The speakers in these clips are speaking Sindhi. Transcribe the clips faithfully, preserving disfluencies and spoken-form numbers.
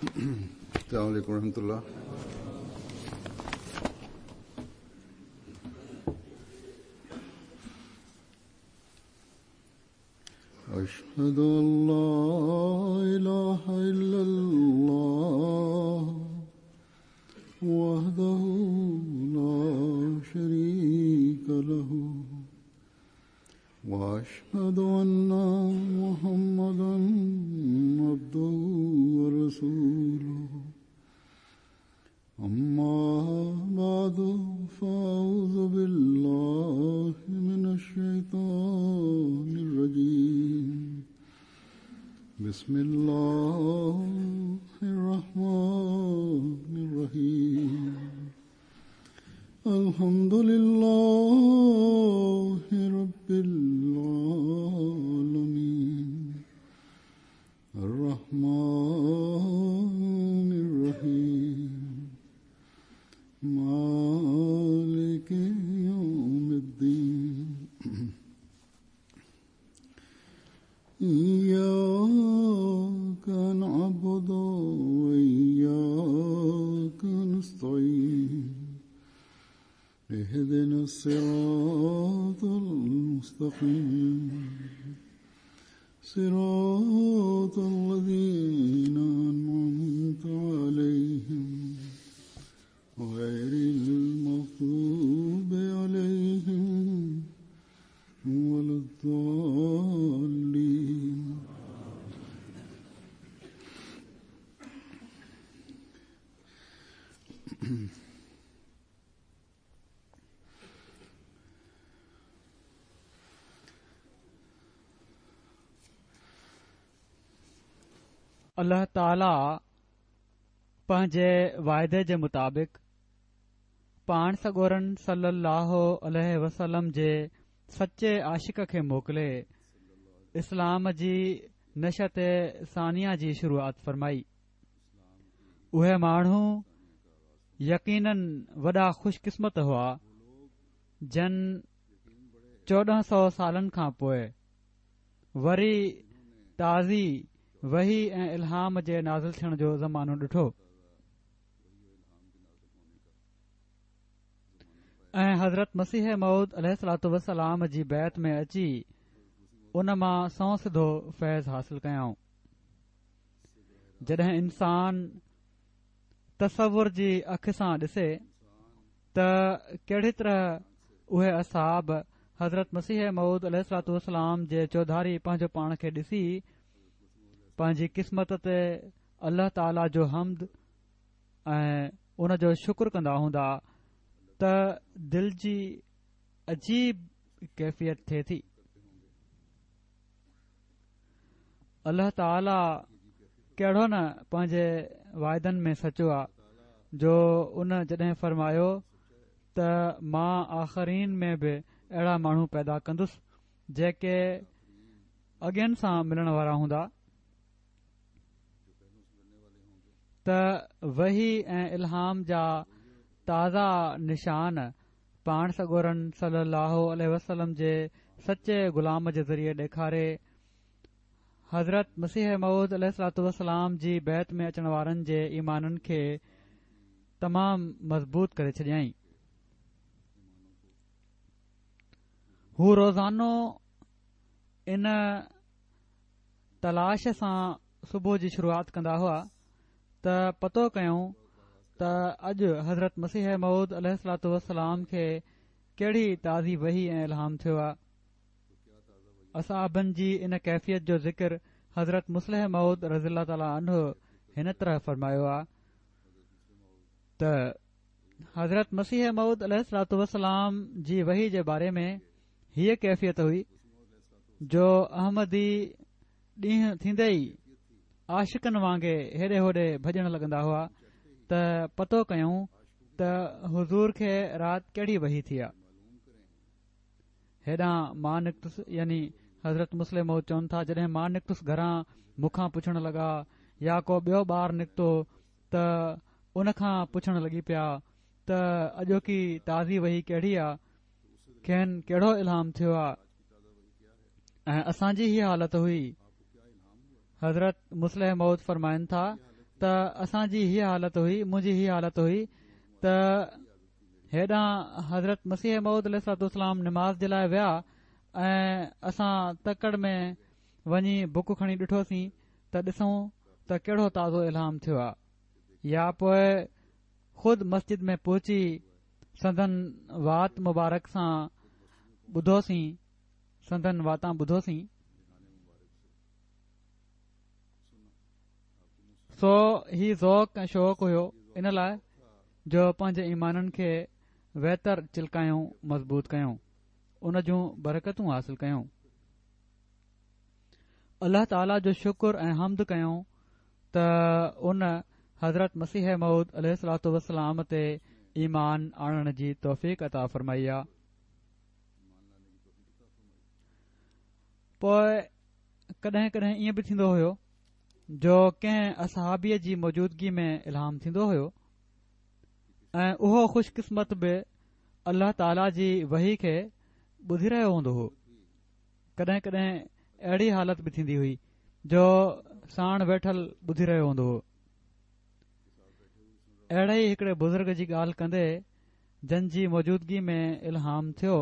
السلام علیکم ورحمۃ اللہ۔ أشهد أن لا إله إلا الله وحده لا شريك له وأشهد أن محمدا عبده ورسوله أما بعد فأعوذ بالله من الشيطان الرجيم بسم الله الرحمن الرحيم الحمد لله رب العالمين الرحمن الرحيم مالك يوم الدين إياك نعبد وإياك نستعين اهدنا الصراط المستقيم صراط الذين أنعمت عليهم غير المغضوب عليهم ولا الضالين. الله تعاليٰ پنهنجي واعدي جي مطابق پاڻ سڳورن صلي الله عليه وسلم جي سچي عاشق کي موڪلي اسلام جي نشأت ثانيه جي شروعات فرمائي. اهي ماڻهو يقيناً وڏا خوش قسمت هئا جن چوڏهن سؤ سالن کان پوءِ وري تازي وحي ۽ الهام جي نازل ٿيڻ جو زمانو ڏٺو ۽ حضرت مسيح موعود عليه الصلوة والسلام جي بيعت ۾ اچي ان مان سنئون سڌو فيض حاصل ڪيائون. جڏهن انسان تصور جي اک سان ڏسي ته ڪهڙي طرح اهي اصحاب حضرت مسيح موعود عليه الصلوة والسلام جي چوڌاري پنهنجو پاڻ کي ڏسي پنهنجي قسمت تي الله تعاليٰ جو حمد ۽ ان جو شڪر ڪندا هوندا ته دل جي عجيب ڪيفيت ٿئي ٿي. الله تعاليٰ ڪهڙو نه پنهنجي واعدن ۾ سچو آ جو ان جڏهن فرمايو ته مان آخرين ۾ به اهڙا ماڻهو پيدا ڪندس جيڪي اڳين سان ملڻ وارا هوندا ته وحي ۽ الهام جا تازا نشان پاڻ سڳورن صلي الله عليه وسلم جي سچي غلام جي ذريعي ڏيکاري حضرت مسيح موعود عليه الصلوة والسلام جي بيعت ۾ اچڻ وارن جي ايمانن کي تمام مضبوط ڪري ڇڏيائين. هو روزانو ان تلاش سان صبح جي شروعات ڪندا هئا ته پتو ڪيون ته اڄ حضرت مسيح موعود عليه الصلوة والسلام کي ڪهڙي تازي وحي ۽ الهام ٿيو آ. اصحابن جي ان ڪيفيت جو ذڪر حضرت مصلح موعود رضي الله تعاليٰ عنه هن طرح فرمايو آ ته حضرت مسيح موعود عليه الصلوة والسلام جي وحي جي باري ۾ هيءَ ڪيفيت هئي جو احمدي ڏينهن ٿيندي ئي عاشقن وانگي هيڏي هوڏي ڀڄڻ لڳندا هئا ته پتو ڪيون ته حضور کي رات ڪهڙي وحي ٿي آ. هيڏانهن مان نڪتس، يعني حضرت مصلح موعود چون ٿا جڏهن مان نڪتس گهران مون کان پڇڻ لڳا يا ڪو ٻيو ٻار نڪتو ته ان کان پڇڻ لڳي پيا ته اڄوڪي تازي وحي ڪهڙي آ، کين ڪهڙو الهام ٿيو آ. ۽ اسان جي هيءَ حالت هئي. حضرت مصلح موعود فرمائن ٿا ته اسان جي هيء حالت هئي، منهنجي هيء حالت هئي ته هيڏانهن حضرت مسيح موعود عليه الصلوة والسلام نماز جي لاء ويا ۽ اسان تڪڙ ۾ وڃي بڪ کڻي ڏٺوسين ته ڏسون ته ڪهڙو تازو الهام ٿيو آهي، يا پوء خود مسجد ۾ پهچي سندن وات مبارڪ سان ٻڌوسين، سندن واتان ٻڌوسين. سو هي ذوق ۽ شوق هيو ان لاء جو پنهنجي ايمانن کي ويتر چلڪايون، مضبوط ڪيون، ان جون برڪتون حاصل ڪيون. الله تعاليٰ جو شڪر ۽ حمد ڪيون ته ان حضرت مسيح موعود عليه الصلوة والسلام تي ايمان آڻڻ جي توفيق عطا فرمائي آ. پوء ڪڏهن ڪڏهن ائين به ٿيندو هيو جو ڪنهن اصحابيء جي موجودگي ۾ الهام ٿيندو هيو ۽ اهو خوش قسمت به الله تعاليٰ جي وحي کي ٻڌي رهيو هوندو هو. ڪڏهن ڪڏهن اهڙي حالت به ٿيندي هئي جو ساڻ ويٺل ٻڌي رهيو هوندو هو. اهڙي ئي هڪڙي بزرگ جي ڳالهه ڪندي جن جي موجودگي ۾ الهام ٿيو،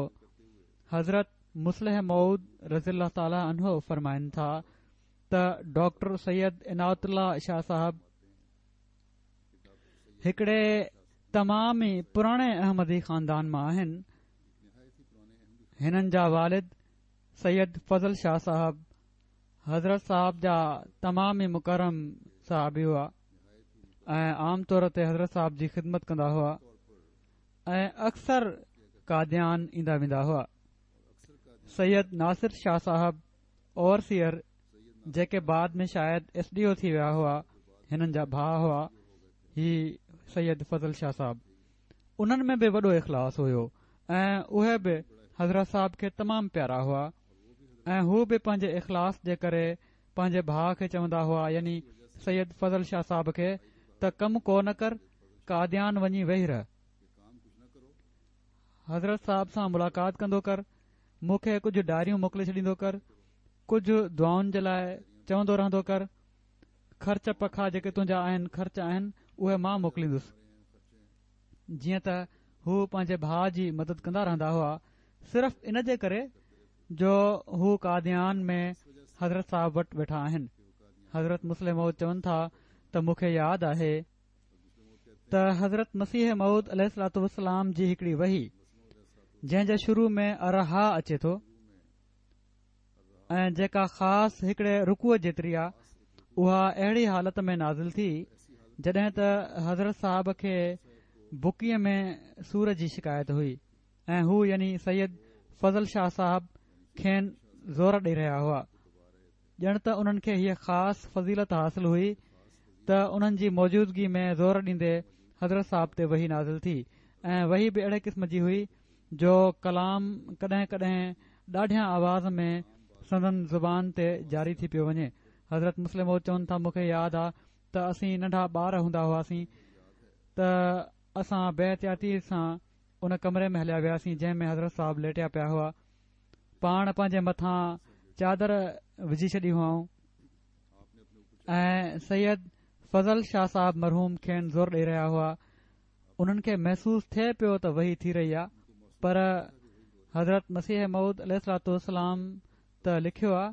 حضرت مصلح موعود رضي الله تعاليٰ عنه فرمائن ٿا ته ڊاڪٽر سيد عنايت الله شاهه صاحب هڪڙي تمام ئي پراڻي احمدي خاندان مان آهن. هنن جا والد سيد فضل شاهه صاحب حضرت صاحب جا تمام ئي مڪرم صحابي هئا ۽ عام طور تي حضرت صاحب جي خدمت ڪندا هئا ۽ اڪثر قاديان ايندا ويندا هئا. سيد ناصر شاهه صاحب اوورسيئر جيڪي بعد ۾ شايد ايس ڊي او ٿي ويا هئا، هنن جا ڀاء هئا. هي سيد فضل شاهه صاحب انهن ۾ به وڏو اخلاص هيو ۽ اهي به حضرت صاحب کي تمام پيارا هئا ۽ هو به پنهنجي اخلاص جي ڪري پنهنجي ڀاء کي چوندا هئا، يعني سيد فضل شاهه صاحب کي، ته ڪم ڪو نه ڪر، قاديان وڃي ويهي رهه، حضرت صاحب سان ملاقات ڪندو ڪر، مون کي ڪجهه ڊائريون موڪلي ڇڏيندو ڪر، ڪجهه دعائن جي لاء چوندو رهندو ڪر، خرچ پکا جيڪي تنهنجا آهن خرچ آهن اهي مان موڪليندس. جيئن ته هو پنهنجي ڀاء جي مدد ڪندا رهندا هئا، صرف ان جي ڪري جو هو قاديان ۾ حضرت صاحب وٽ ويٺا آهن. حضرت مصلح موعود چون ٿا ته مون کي ياد آهي ته حضرت مسيح موعود عليه الصلوة والسلام جي هڪڙي وحي جنهن جي شروع ۾ الرحيٰ اچي ٿو ۽ جيڪا خاص هڪڙي رڪوع جيتري آ، اها اهڙي حالت ۾ نازل ٿي جڏهن ته حضرت صاحب کي بڪيء ۾ سور جي شڪايت هئي ۽ هو يعني سيد فضل شاهه صاحب کين زور ڏئي رهيا هئا، ڄڻ ته انهن کي هيء خاص فضيلت حاصل هئي ته انهن جي موجودگي ۾ زور ڏيندي حضرت صاحب تي وحي نازل ٿي ۽ وحي به اهڙي قسم جي هئي جو ڪلام ڪڏهن ڪڏهن ڏاڍيان آواز ۾ سندن زبان تي جاري ٿي پيو وڃي. حضرت مصلح موعود چون ٿا مون کي ياد آ ته اسين ننڍا ٻار هوندا هئاسين ته اسان بي احتياطي سان ان ڪمري ۾ هليا وياسين جنهن ۾ حضرت صاحب ليٽيا پيا هئا. پاڻ پنهنجي مٿان چادر وجهي ڇڏي هئائون ۽ سيد فضل شاهه صاحب مرحوم کين زور ڏئي رهيا هئا. انهن کي محسوس ٿئي پيو ته وحي ٿي رهي آ، پر حضرت مسيح موعود عليه الصلوة والسلام ته لکيو آ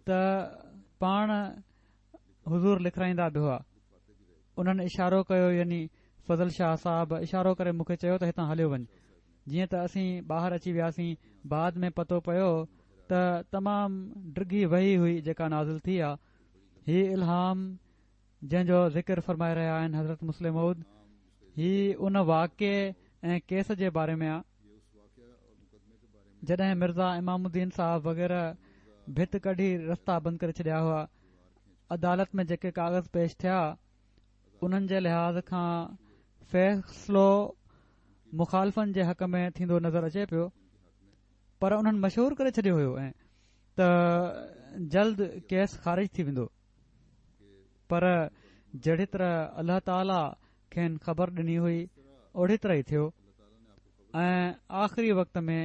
ته پاڻ حضور لکرائيندا به هئا. انهن اشارو ڪيو، يعني فضل شاهه صاحب اشارو ڪري مون کي چيو ته هتان هليو وڃ. جيئن ته اسين ٻاهر اچي وياسين، بعد ۾ پتو پيو ته تمام ڊگهي وحي هئي جيڪا نازل ٿي آ. هي الهام جنهن جو ذڪر فرمائي رهيا آهن حضرت مصلح موعود، هي ان واقعي ۽ ڪيس جي باري ۾ آ جڏهن مرزا امام الدين صاحب وغيره ڀت ڪڍي رستا بند ڪري ڇڏيا هئا. عدالت ۾ جيڪي ڪاغذ پيش ٿيا انهن جي لحاظ کان فيصلو مخالفن جي حق ۾ ٿيندو نظر اچي پيو، پر انهن مشهور ڪري ڇڏيو هيو ۽ ته جلد ڪيس خارج ٿي ويندو، پر جهڙي طرح الله تعاليٰ کين خبر ڏني هئي اوڙي طرح ئي ٿيو ۽ آخري وقت ۾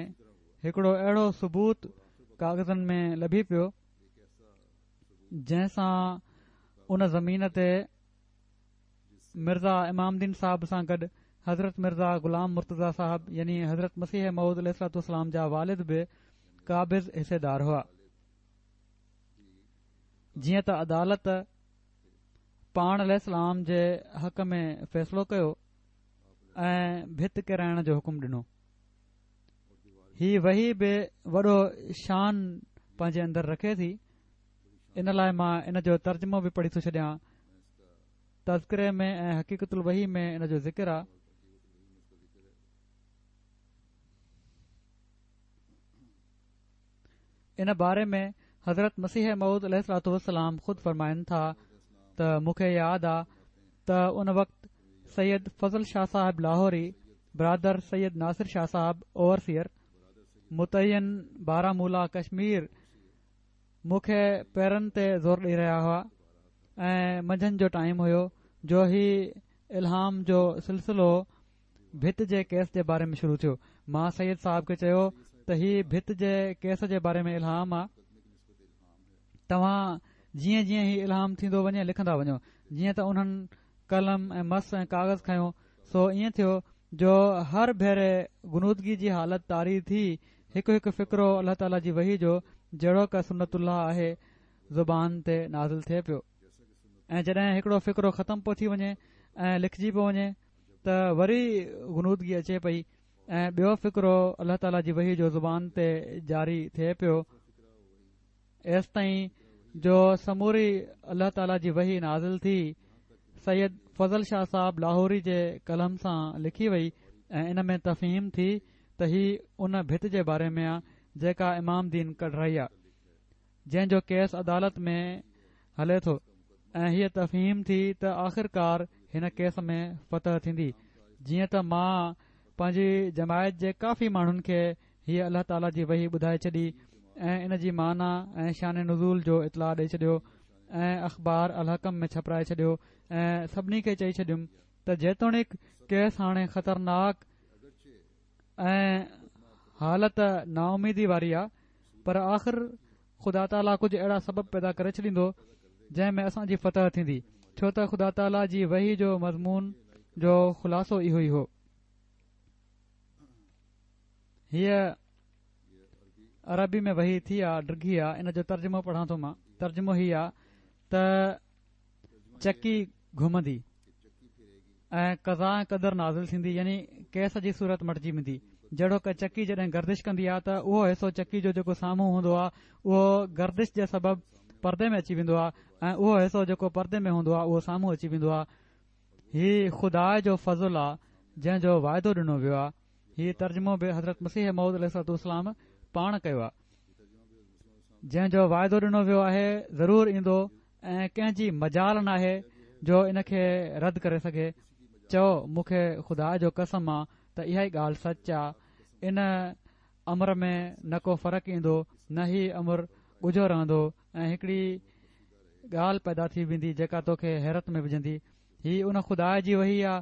هڪڙو اهڙو ثبوت ڪاغذن ۾ لڀي پيو جنهن سان ان زمين تي مرزا امام دين صاحب سان گڏ حضرت مرزا غلام مرتضيٰ صاحب يعني حضرت مسيح موعود عليه الصلوة والسلام جا والد به قابض حصيدار هئا. جيئن ته عدالت پاڻ عليه السلام جي حق ۾ فيصلو ڪيو ۽ ڀت ڪيرائڻ جو حڪم ڏنو. هي وحي به وڏو شان پنهنجي اندر رکي ٿي، ان لاءِ مان ان جو ترجمو به پڙهي ٿو ڇڏيان. تذڪري ۾ ۽ حقيقت الوحي ۾ ان جو ذڪر آ. ان باري ۾ حضرت مسيح موعود عليه الصلوة والسلام خود فرمائن ٿا ته مون کي ياد آ ته ان وقت سيد فضل شاهه صاحب لاهوري، برادر سيد ناصر شاهه صاحب اوورسيئر متعين بارامولا ڪشمير، مون کي پيرن تي زور ڏئي رهيا هئا ۽ منجهند جو ٽائيم هيو جو هي الهام جو سلسلو ڀت جي ڪيس جي باري ۾ شروع ٿيو. مان سيد صاحب کي چيو ته هي ڀت جي ڪيس جي باري ۾ الهام آ، توهان جيئن جيئن هي الهام ٿيندو وڃي لکندا وڃو. جيئن ته انهن قلم ۽ مس ۽ ڪاغذ کنيو، سو ائين ٿيو جو هر ڀيري غنودگي جي حالت طاري ٿي هڪ هڪ فقرو الله تعاليٰ جي وحي جو جهڙوڪ سنت الله آهي زبان تي نازل ٿئي پيو، ۽ جڏهن هڪڙو فقرو ختم پيو ٿي وڃي ۽ لکجي پيو وڃي ته وري غنودگي اچي پئي ۽ ٻيو فقرو الله تعاليٰ جي وحي جو زبان تي جاري ٿئي پيو، ايستائين جو سموري الله تعاليٰ جي وحي نازل ٿي سيد فضل شاهه صاحب لاهوري جي قلم سان لکي وئي ۽ ان ۾ تفهيم ٿي ته هي ان ڀت جي باري ۾ آ جيڪا امام دين ڪڍرائي آ، جنهن جو ڪيس عدالت ۾ هلي ٿو، ۽ هيء تفهيم ٿي ته آخرڪار هن ڪيس ۾ فتح ٿيندي. جيئن ته مان پنهنجي جماعت جي ڪافي ماڻهن کي هيء الله تعاليٰ جي وحي ٻڌائي ڇڏي ۽ ان جي معنيٰ ۽ شان نزول جو اطلاع ڏئي ڇڏيو ۽ اخبار الحڪم ۾ ڇپرائي ڇڏيو ۽ سڀني کي چئي ڇڏيم ته جيتوڻيڪ ڪيس هاڻي خطرناڪ ۽ حالت نااميدي واري آ، پر آخر خدا تعاليٰ ڪجهه اهڙا سبب پيدا ڪري ڇڏيندو جنهن ۾ اسان جي فتح ٿيندي، ڇو ته خدا تعاليٰ جي وحي جو مضمون جو خلاصو اهو ئي هو. هيء عربي ۾ وحي ٿي آ، ڊگهي آ، ان جو ترجمو پڙهان ٿو مان. ترجمو هي آ ته چڪي گهمندي ۽ قضا ۽ قدر نازل ٿيندي، يعني ڪيس جي صورت مٽجي ويندي. جهڙوڪ چڪي جڏهن گردش ڪندي آ ته اهو حصو چڪي جو جيڪو سامهون هوندو آ اهو گردش جي سبب پردي ۾ اچي ويندو آ ۽ اهو حصو جيڪو پردي ۾ هوندو آ اهو سامهون اچي ويندو آ. هي خدا جو فضل آ جنهن جو واعدو ڏنو ويو آ. هي ترجمو به حضرت مسيح موعود عليه الصلوة والسلام پاڻ ڪيو آ. جنهن جو واعدو ڏنو ويو آهي ضرور ايندو ۽ ڪنهن جي مجال ناهي جو ان کي رد ڪري سگهي. چئو مون کي خدا جو قسم آ ته اها ئي ڳالهه سچ آ، ان امر ۾ نه ڪو فرق ايندو نه هي امر ڳجهو رهندو ۽ هڪڙي ڳالهه پيدا ٿي ويندي جيڪا توکي حيرت ۾ وجهندي. هي ان خدا جي وحي آ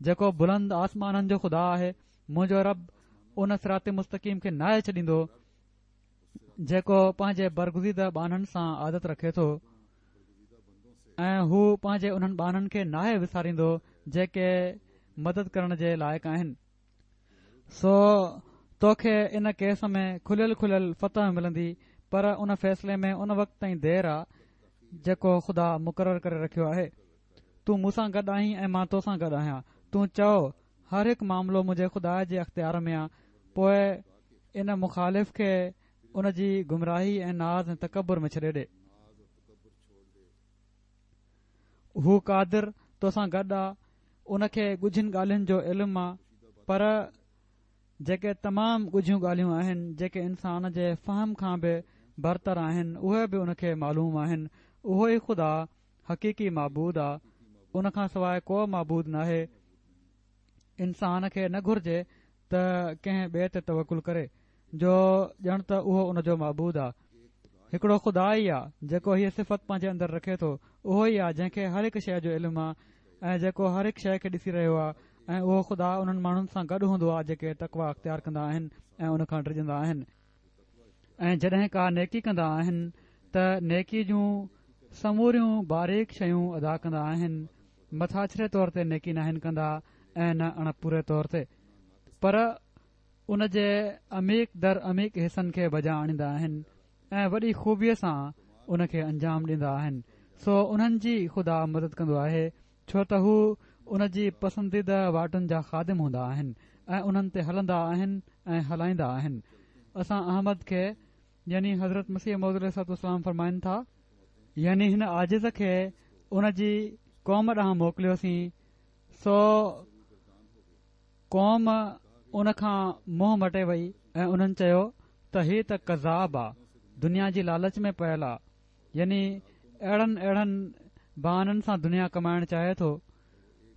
جيڪو بلند آسمانن جو خدا آهي. منهنجو رب ان صراط مستقيم کي ناهي ڇڏيندو جيڪو پنهنجي برگزيده ٻانهن سان عادت رکي ٿو، ۽ هو پنهنجي انهن ٻانهن کي ناهي وساريندو جيڪي مدد ڪرڻ جي لائق آهن. سو توکي ان ڪيس ۾ کليل کليل فتح ملندي، پر ان فيصلي ۾ ان وقت تائين دير آ جيڪو خدا مقرر ڪري رکيو آهي. تون مون سان گڏ آهين ۽ مان توسان گڏ آهيان. تون چئو هر هڪ معاملو منهنجي خدا جي اختيار ۾ آ، پوءِ ان مخالف کي ان جي گمراهي ۽ ناز ۽ تڪبر ۾ ڇڏي ڏي. هو قادر توسان گڏ آ، ان کي ڳجهين ڳالهين جو علم آ، پر جيڪي تمام ڳجهيون ڳالهيون آهن جيڪي انسان جي فهم کان به برتر آهن اهي به ان کي معلوم آهن. اهو ئي خدا حقيقي معبود آ، ان کان سواءِ ڪو معبود ناهي. انسان کي نه گهرجي ته ڪنهن ٻئي تي توڪل ڪري جو ڄڻ ته اهو ان جو معبود آ. هڪڙو خدا ئي آ جيڪو هيءَ صفت پنهنجي اندر رکي ٿو، اهو ئي آ جنهن کي هر هڪ شيءِ جو علم آ ۽ جيڪو هر هڪ شيءِ کي ڏسي رهيو آ، ۽ اهو خدا انهن ماڻهن سان گڏ هوندو آ جيڪي تقويٰ اختيار ڪندا آهن ۽ ان کان ڊڄندا آهن، ۽ جڏهن ڪا نيڪي ڪندا آهن ته نيڪي جون سموريون باريڪ شيون ادا ڪندا آهن مٿاڇري طور تي نيڪي ناهن ڪندا ۽ نه اڻ پوري طور تي، پر ان جي عميق در عميق حصن کي بجا آڻيندا آهن ۽ وڏي خوبيءَ سان ان کي انجام ڏيندا آهن. سو انهن جي خدا مدد ڪندو آهي، ڇو ته هو ان جي پسنديده واٽن جا خادم هوندا آهن ۽ انهن تي هلندا آهن ۽ هلائيندا آهن. اسان احمد کي يعني حضرت مسيح موعود عليه الصلوة والسلام فرمائن ٿا، يعني هن عاجز کي ان جي قوم ڏانهن موڪليوسين، سو قوم ان کان منهن مٽي وئي ۽ انهن چيو ته هي ته ڪذاب آ، دنيا جي لالچ ۾ پيل آ، يعني اهڙن اهڙن بهانن سان دنيا ڪمائڻ چاهي ٿو.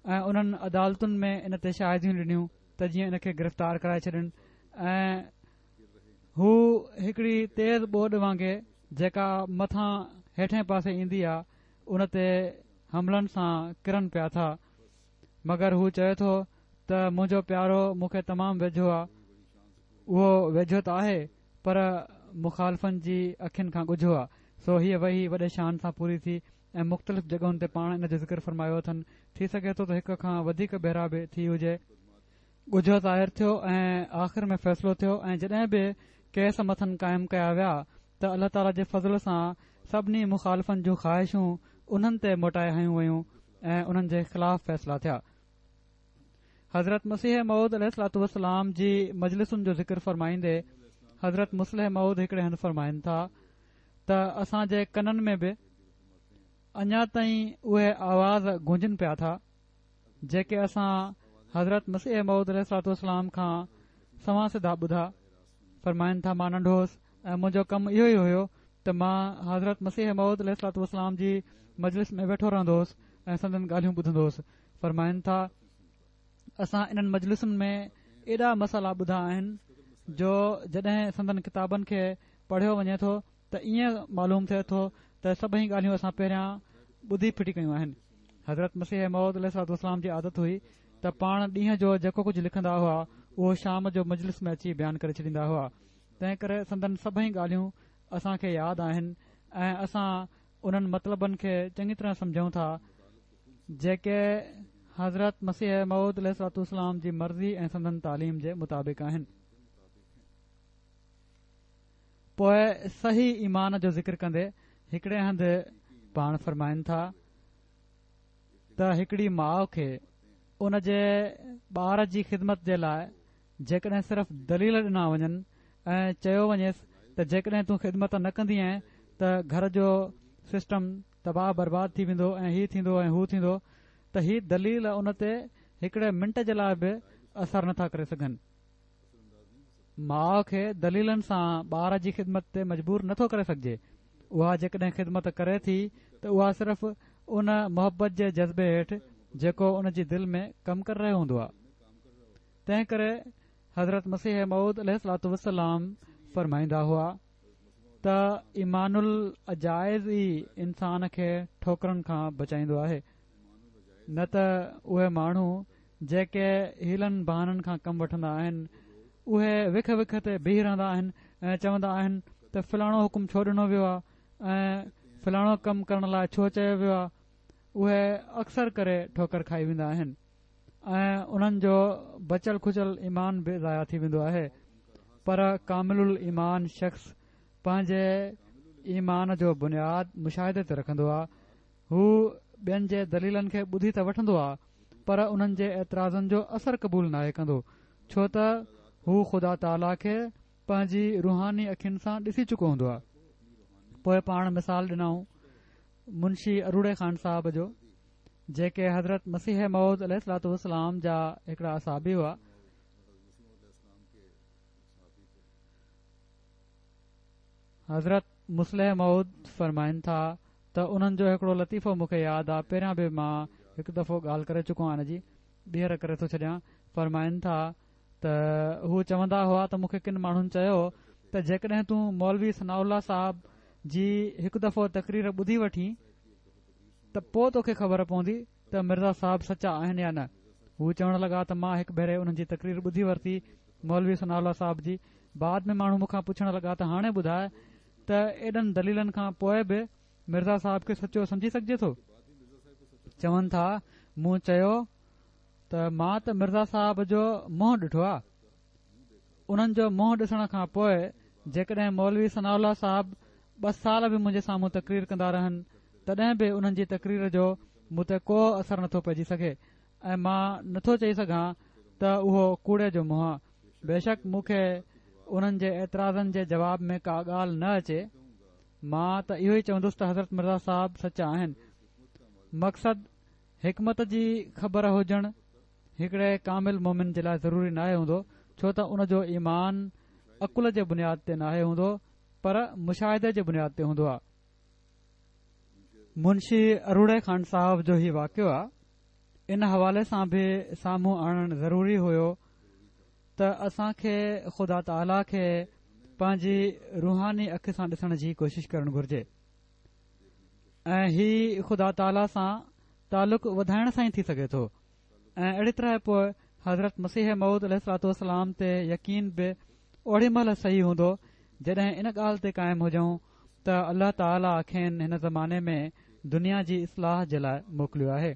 ۽ انهن عدالتن ۾ ان تي شاهديون ڏنيون ته جيئن ان کي گرفتار ڪرائي ڇڏن. ۽ هو هڪڙي تيز ٻوڏ وانگي جيڪا مٿان هيٺين پاسي ايندي آ ان تي حملن سان ڪرن پيا ٿا، مگر هو چئي ٿو ته منهنجو پيارو مون کي تمام ويجهو آ. اهو ويجهو ته آهي پر مخالفن جي اکين کان ڳجهو آ. سو هيءَ وحي وڏي شان سان پوري ٿي ۽ مختلف جڳهن تي پاڻ ان جو ذڪر فرمايو اٿن. ٿي سگهي ٿو ته هڪ کان وڌيڪ ڀيرا به ٿي هجي. ڳجهو ظاهر ٿيو ۽ آخر ۾ فيصلو ٿيو. ۽ جڏهن به ڪيس مٿن قائم ڪيا ويا ته الله تعاليٰ جي فضل سان سڀني مخالفن جون خواهشون انهن تي موٽائي هنيون ويون ۽ انهن جي خلاف فيصلا ٿيا. حضرت مسيح موعود عليه الصلوة والسلام جي مجلسن جو ذڪر فرمائيندي حضرت مصلح موعود هڪڙي هنڌ فرمائن ٿا ته اسان جي ڪنن ۾ به اڃا تائين اهي آواز گونجن پيا ٿا جيڪي اسان حضرت مسيح موعود عليه الصلوة والسلام کان سنوان سڌا ٻڌا. فرمائن ٿا مان ننڍو هوس ۽ منهنجو ڪم اهو ئي هيو ته مان حضرت مسيح موعود عليه الصلوة والسلام جي مجلس ۾ ويٺو رهندو هوس ۽ سندن ڳالهيون ٻڌندو هوس. فرمائن ٿا اسان انهن مجلسن ۾ ايڏا مسئلا ٻڌا آهن جو جڏهن سندن ڪتابن کي پڙهيو وڃي ٿو ته ائين معلوم ٿئي ٿو ته سڀئي ڳالهيون اسان پهريان ٻڌي ڦٽي ڪيون آهن. حضرت مسيح موعود عليه الصلوة والسلام جي عادت هئي ته پاڻ ڏينهن جو جيڪو ڪجهه لکندا هئا اهو شام جو مجلس ۾ اچي بيان ڪري ڇڏيندا هئا. تنهن ڪري سندن سڀئي ڳالهيون اسان کي ياد آهن ۽ اسان انهن مطلبن کي چڱي طرح سمجهون ٿا جيڪي حضرت مسيح موعود عليه الصلوة والسلام جي مرضي ۽ سندن تعليم جي مطابق آهن. پوءِ صحيح ايمان جو ذڪر ڪندي هڪڙي هنڌ پاڻ فرمائن ٿا ته هڪڙي ماءُ کي ان جي ٻار جي خدمت جي لاءِ جيڪڏهن صرف دليل ڏنا وڃن ۽ چيو وڃيس ته جيڪڏهن تون خدمت نه ڪندينءَ ته گهر جو سسٽم تباهه برباد ٿي ويندو ۽ هي ٿيندو ۽ هو ٿيندو، ته هي دليل ان تي هڪڙي منٽ جي لاءِ به اثر نٿا ڪري سگهن. ماءُ کي دليلن سان ٻار جي خدمت تي مجبور نٿو ڪري سگهجي. اها جيڪڏهن خدمت ڪري ٿي ته اها صرف ان محبت جي جذبي هيٺ جيڪو ان جي دل ۾ ڪم ڪري رهيو هوندو آهي. تنهن ڪري حضرت مسيح موعود عليه الصلوة والسلام فرمائيندا هئا ته ايمان العجائز ئي انسان کي ٺوڪرن کان بچائيندو آهي، نه ته اهي ماڻهو جيڪي هيلن بهانن کان ڪم وٺندا آهن اهي وک وک تي بيهي رهندا آهن ۽ چوندا آهن ته فلاڻو حڪم ڇو ڏنو ويو آهي ۽ فلاڻو ڪم ڪرڻ لاءِ ڇو چيو ويو آهي. اهي اڪثر ڪري ٺوڪر کائي ويندا آهن ۽ انهن جو بچل کچل ايمان به ضايع ٿي ويندو آهي. پر ڪامل الايمان شخص پنهنجي ايمان جو بنياد مشاهدي تي رکندو آهي. هو ٻين جي دليلن کي ٻڌي ته وٺندو آهي پر انهن جي اعتراضن جو اثر قبول ناهي ڪندو، ڇو ته هو خدا تعاليٰ کي پنهنجي روحاني اکين سان ڏسي چڪو هوندو آهي. پوءِ پاڻ مثال ڏنائون منشي اروڙي خان صاحب جو، جيڪي حضرت مسيح موعود عليه الصلوة والسلام جا هڪڙا اصحابي هئا. حضرت مصلح موعود فرمائن ٿا ته انهن جو هڪڙو لطيفو مون کي ياد آهي، پهريان به مان هڪ دفعو ڳالهه ڪري چڪو آهيان، ان جي ٻيهر ڪري ٿو ڇڏيان. فرمائن ٿا ته هو چوندا هئا ته مون کي ڪن ماڻهن چيو ته جيڪڏهن تون مولوي ثناء الله صاحب جي هڪ دفعو تقرير ٻڌي وٺين ته پوءِ توکي خبر پوندي ته مرزا صاحب سچا آهن يا نه. هو چوڻ لڳا ته مان هڪ ڀيري انهن جي تقرير ٻڌي ورتي مولوي ثناء الله صاحب جي. بعد ۾ ماڻهو مون کان پڇڻ لڳا ته هاڻي ٻڌاءِ ته ايڏن دليلن کان پوءِ به مرزا صاحب کي سچو سمجهي سگهجي ٿو؟ چون ٿا مون چيو ته مان ته مرزا صاحب جو منهن ڏٺو آهي. انهن جو منهن ڏسڻ کان پوءِ جيڪڏهن مولوي ثناء الله صاحب ٻه سال به منهنجي سامهون تقرير ڪندا رهن تڏهن به انهن جي تقرير جو مون تي ڪو اثر نٿو پئجي سگهي ۽ مان نٿو چئي سگهان ته اهو ڪوڙي جو منهن آهي. بيشڪ مون کي انهن جي اعتراضن جي جواب ۾ ڪا ڳالهه نه اچي، مان ته اهو ئي چوندس ته حضرت مرزا صاحب سچا آهن. مقصد حڪمت جي خبر هجڻ هڪڙي ڪامل مومن جي لاءِ ضروري ناهي هوندو، ڇو ته ان جو ايمان عقل جي بنياد تي ناهي هوندو پر مشاهدي جي بنياد تي هوندو آهي. منشي اروڙي خان صاحب جو هي واقعو آهي، ان حوالي سان به سامهون آڻڻ ضروري هيو ته اسان کي خدا تعاليٰ کي پنهنجي روحاني اک سان ڏسڻ جي ڪوشش ڪرڻ گهرجي ۽ هي خدا تعاليٰ سان تعلق وڌائڻ سان ئي ٿي سگهي ٿو. ۽ اهڙي طرح پوءِ حضرت مسيح موعود عليه الصلوة والسلام تي يقين به اوڙي مهل صحيح هوندو جڏهن ان ڳالهه تي قائم هجون ته الله تعاليٰ کين هن زماني ۾ دنيا جي اصلاح جي لاءِ موڪليو آهي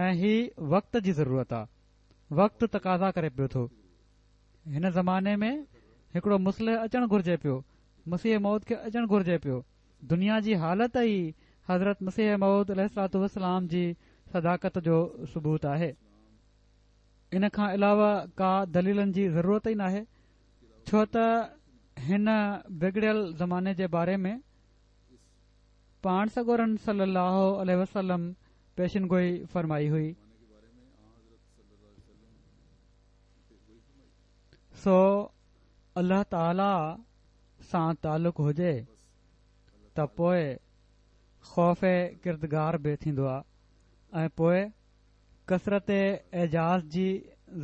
۽ هي وقت جي ضرورت آهي، وقت تقاضا ڪري پيو ٿو. هن زماني ۾ هڪڙو مصلح اچڻ گهرجي پيو، مسيح موعود کي اچڻ گهرجي پيو. دنيا جي حالت ئي حضرت مسيح موعود عليه الصلوة والسلام جي صداقت جو ثبوت آهي. ان کان علاوه ڪا دليلن جي ضرورت ئي ناهي، ڇو ته هن بگڙيل زماني جي باري ۾ پاڻ سڳورن صلي الله عليه وسلم پيشن گوئي فرمائي هئي. سو الله تعاليٰ سان تعلق هجي ته پوءِ خوف ڪردگار به ٿيندو آهي ۽ پوءِ ڪثرت اعجاز جي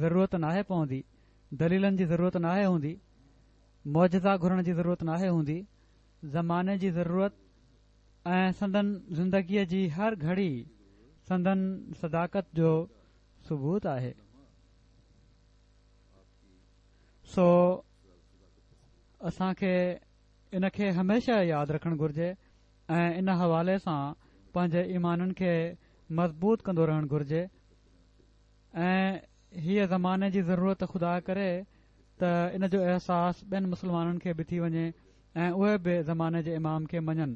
ضرورت ناهي پوندي، دليلن جي ضرورت ناهي هوندي، معجزا گهرڻ جي ضرورت ناهي هوندي. زماني جي ضرورت ۽ سندن زندگيءَ جي هر گهڙي سندن صداقت جو ثبوت آهي. سو اسان کي ان کي هميشه ياد رکڻ گهرجي ۽ ان حوالي سان پنهنجي ايمانن کي مضبوط ڪندو رهڻ گهرجي. ۽ هيءَ زماني جي ضرورت خدا ڪري ته ان جو احساس ٻين مسلمانن کي به ٿي وڃي ۽ اهي به زماني جي امام کي مڃن.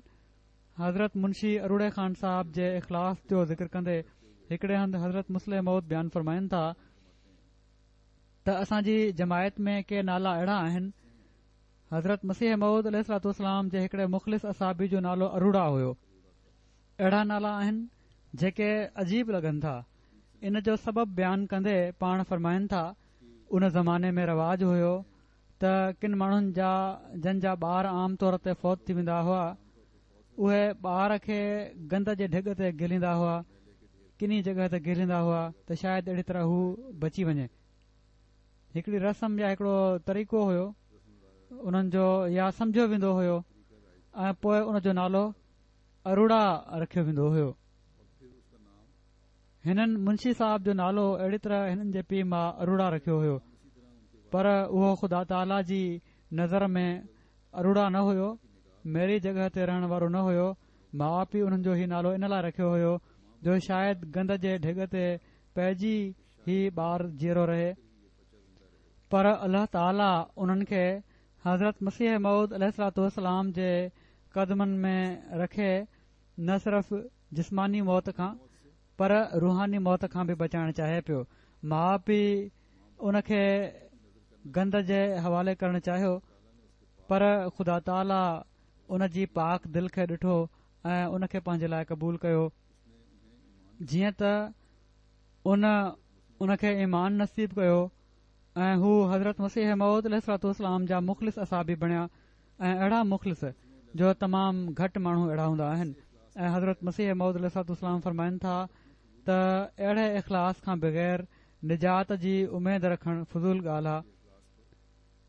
حضرت منشي اروڙي خان صاحب جي اخلاص جو ذڪر ڪندي هڪڙي هنڌ حضرت مصلح موعود بيان فرمائن ٿا ته اسان جي جماعت ۾ ڪي نالا اهڙا آهن. حضرت مسيح موعود عليه الصلوة والسلام جي هڪڙي مخلص اصحابي جو نالو اروڙا هيو. اهڙا نالا آهن جيڪي عجيب لڳن ٿا. ان جو سبب بيان ڪندي پاڻ فرمائن ٿا ان زماني ۾ رواج هيو ته ڪن ماڻهن جا جن جا ٻار عام طور تي فوت ٿي ويندا هئا اهي ٻار کي گند جي ڍڳ تي گهليندا هئا، ڪني جڳهه تي گهليندا هئا ته شايد اهڙي طرح هو بچي وڃي. هڪڙي رسم يا هڪڙو طريقو هيو انهن جو، يا سمجهيو ويندو هيو ۽ پوءِ ان جو نالو اروڙا رکيو ويندو هيو. هنن منشي صاحب جو نالو اهڙي طرح هنن جي پيءُ ماءُ اروڙا رکيو هيو، پر اهو خدا تعاليٰ جي نظر ۾ اروڙا نه هيو، ميري جڳهه تي رهڻ وارو نه هيو. ماءُ پيءُ انهن جو هي نالو ان لاءِ رکيو هيو جو شايد گند جي ڍڳ تي پئجي هي ٻار جيئرو رهي. پر الله تعاليٰ انهن کي حضرت مسيح موعود عليه الصلوة والسلام جي قدمن ۾ رکي نه صرف جسماني موت کان پر روحاني موت کان به بچائڻ چاهي پيو. ماءُ پيءُ ان کي گند جي حوالي ڪرڻ چاهيو، پر خدا تعاليٰ ان جي پاڪ دل کي ڏٺو ۽ ان کي پنهنجي لاءِ قبول ڪيو. جيئن ته ان ان کي ايمان نصيب ڪيو ۽ هو حضرت مسيح موعود عليه الصلوة والسلام جا مخلص اصحابي بڻيا ۽ اهڙا مخلص جو تمام گهٽ ماڻهو اهڙا هوندا آهن. ۽ حضرت مسيح موعود عليه الصلوة والسلام فرمائن ٿا ته اهڙي اخلاص کان بغير نجات جي اميد رکڻ فضول ڳالهه آهي.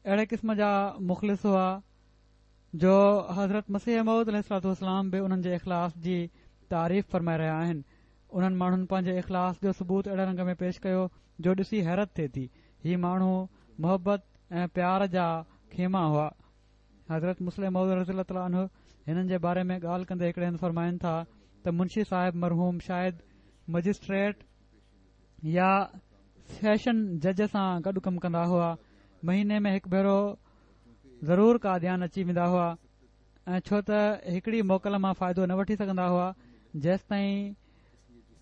اهڙي قسم جا مخلص هئا جو حضرت مسيح موعود عليه الصلوة والسلام به انهن جي اخلاص جي تعريف فرمائي رهيا آهن. انهن ماڻهن پنهنجي اخلاص جو ثبوت اهڙي رنگ ۾ پيش ڪيو جو ڏسي حيرت ٿئي ٿي. هي ماڻهو محبت ۽ پيار جا خيما هئا. حضرت مصلح موعود رضي الله تعاليٰ عنه هنن جي باري ۾ ڳالهه ڪندي هڪڙي هنڌ فرمائن ٿا ته منشي صاحب مرحوم شايد مئجسٽريٽ يا سيشن جج سان گڏ ڪم ڪندا هئا. مهيني ۾ هڪ ڀيرو ضرور قاديان اچي ويندا هئا ۽ ڇو ته هڪڙي موڪل مان فائدو نه وٺي سگهندا هئا جيستائين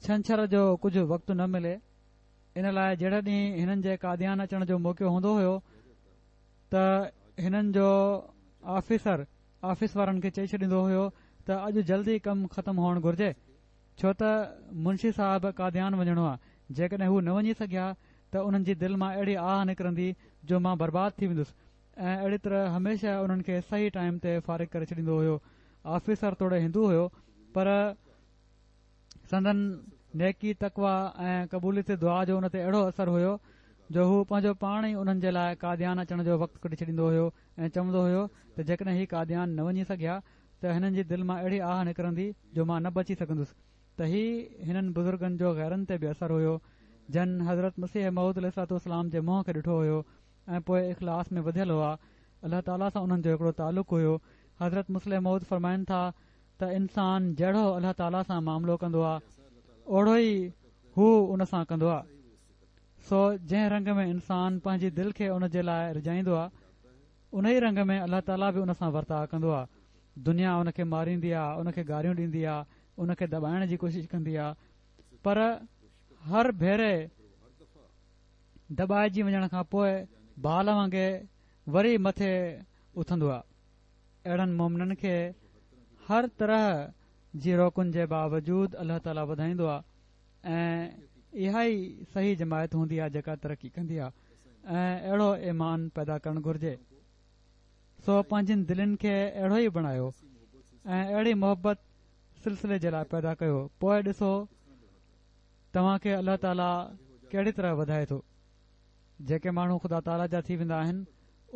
ڇنڇر جو ڪجهه وقت نه ملي. ان لاءِ جهڙي ڏينهن هنن جي قاديان اچڻ جو موقعو هوندو هيو ته هنن جو آفيسر آفيس وارن کي چئي ڇڏيندو هيو ته اڄ جلدي ڪم ختم هئڻ گهرجي، ڇو ته منشي صاحب قاديان وڃڻو آهي. جيڪڏهن هو نه وڃي سگهيا ته انهن جي دل مان اهڙي آهه نڪرندي جو مان برباد ٿي ويندس. ۽ اهڙي طرح هميشه انهن کي صحيح ٽائيم تي فارغ ڪري ڇڏيندو هيو. آفيسر توڙي هندو هيو پر سندن نيڪي، تقويٰ ۽ قبوليت دعا جو ان تي اهڙو اثر هيو جو هو پنهنجو پاڻ ئي انهن جي لاءِ قاديان اچڻ جو وقت ڪڍي ڇڏيندو هيو ۽ چوندو هيو ته جيڪڏهن هي قاديان نه وڃي سگهيا ته هنن جي دل مان اهڙي آهه نڪرندي جو مان نه بچي سگهندس. ته هي هنن بزرگن جو غيرن تي به اثر هيو جن حضرت مسيح موعود عليه الصلوة والسلام جي منهن کي ڏٺو هيو ۽ پوءِ اخلاص ۾ وڌيل هئا. الله تعاليٰ سان انهن جو هڪڙو تعلق هيو. حضرت مصلح موعود فرمائن ٿا ته انسان جهڙو الله تعاليٰ سان معاملو ڪندو آهي اوڙو ئي هو ان سان ڪندو آهي. سو جنهن رنگ ۾ انسان پنهنجي دل کي ان جي لاءِ رجائيندو آهي ان ئي رنگ ۾ الله تعاليٰ به ان سان ورتاءُ ڪندو آهي. دنيا ان کي ماريندي آهي، ان کي گاريون ڏيندي آهي، ان کي دٻائڻ جي ڪوشش ڪندي آهي، پر هر ڀيري دٻائجي وڃڻ کان پوءِ بال وانگي وري مٿي اٿندو آهي. اهڙن مومنن کي هر طرح جي روڪن جي باوجود الله تعاليٰ وڌائيندو آهي ۽ اها ئي صحيح جماعت هوندي آهي جيڪا ترقي ڪندي آهي. ۽ اهڙو ايمان پيدا ڪرڻ گهرجي. سو پنهنجن دلين کي اهڙو ئي بڻايو ۽ اهڙي محبت سلسلي جي لاءِ پيدا ڪيو، پوءِ ڏسو توهان کي الله تعاليٰ ڪهڙي طرح وڌائي ٿو. جيڪي ماڻهو خدا تعاليٰ جا ٿي ويندا آهن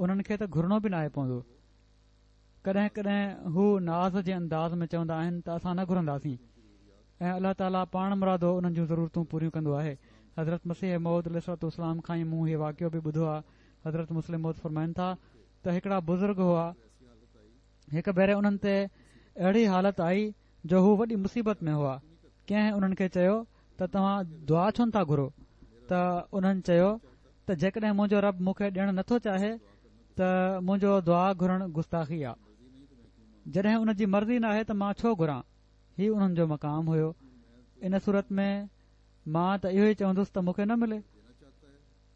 انهن کي ته گهرڻو به ناهي پوندو. ڪڏهن ڪڏهن هو ناز جي انداز ۾ چوندا آهن ته اسان نه گهرنداسين ۽ الله تعاليٰ پاڻ مرادو انهن جون ضرورتون پوريون ڪندو آهي. حضرت مسيح موعود عليه الصلوة والسلام کان ئي مون هيءُ واقعو به ٻڌو آهي. حضرت مصلح موعود فرمائن ٿا ته هڪڙا بزرگ هئا، هڪ ڀيري انهن تي اهڙي حالت آئي جو هو وڏي مصيبت ۾ هئا. ڪنهن انهن کي چيو ته توهان دعا ڇو نٿا گهرو؟ ته انهن چيو ته جيڪڏهن منهنجو رب مون کي ڏيڻ نٿو چاهي ته منهنجو دعا گهرڻ گستاخي آهي. جڏهن ان جي مرضي ناهي ته مان ڇو گهران؟ هي انهن جو مقام هيو. ان صورت ۾ مان ته اهو ئي چوندس ته مون کي نه ملي،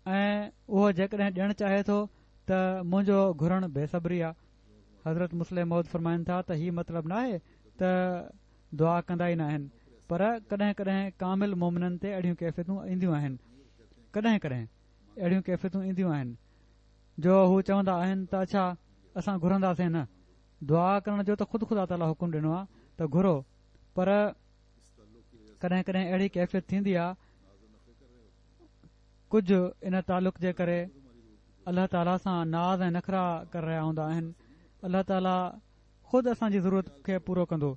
۽ اهو جيڪڏهن ڏيڻ چاهي ٿو ته منهنجو گهرڻ بيصبري آهي. حضرت مصلح موعود فرمائن ٿا ته هي مطلب ناهي ته دعا ڪندا ئي ناهن، پر ڪڏهن ڪڏهن ڪامل مومنن تي اهڙيون ڪيفيتون اينديون آهن، ڪڏهن ڪڏهن اهڙيون ڪيفيتون اينديون آهن جو هو چوندا آهن ته اڇا اسان گهرنداسين نه. دعا ڪرڻ جو ته خود خدا تعاليٰ حڪم ڏنو آهي ته گهرو، پر ڪڏهن ڪڏهن اهڙي ڪيفيت ٿيندي آهي ڪجهه ان تعلق جي ڪري الله تعاليٰ سان ناز ۽ نخرا ڪري رهيا هوندا آهن. الله تعاليٰ خود اسان جي ضرورت کي پورو ڪندو،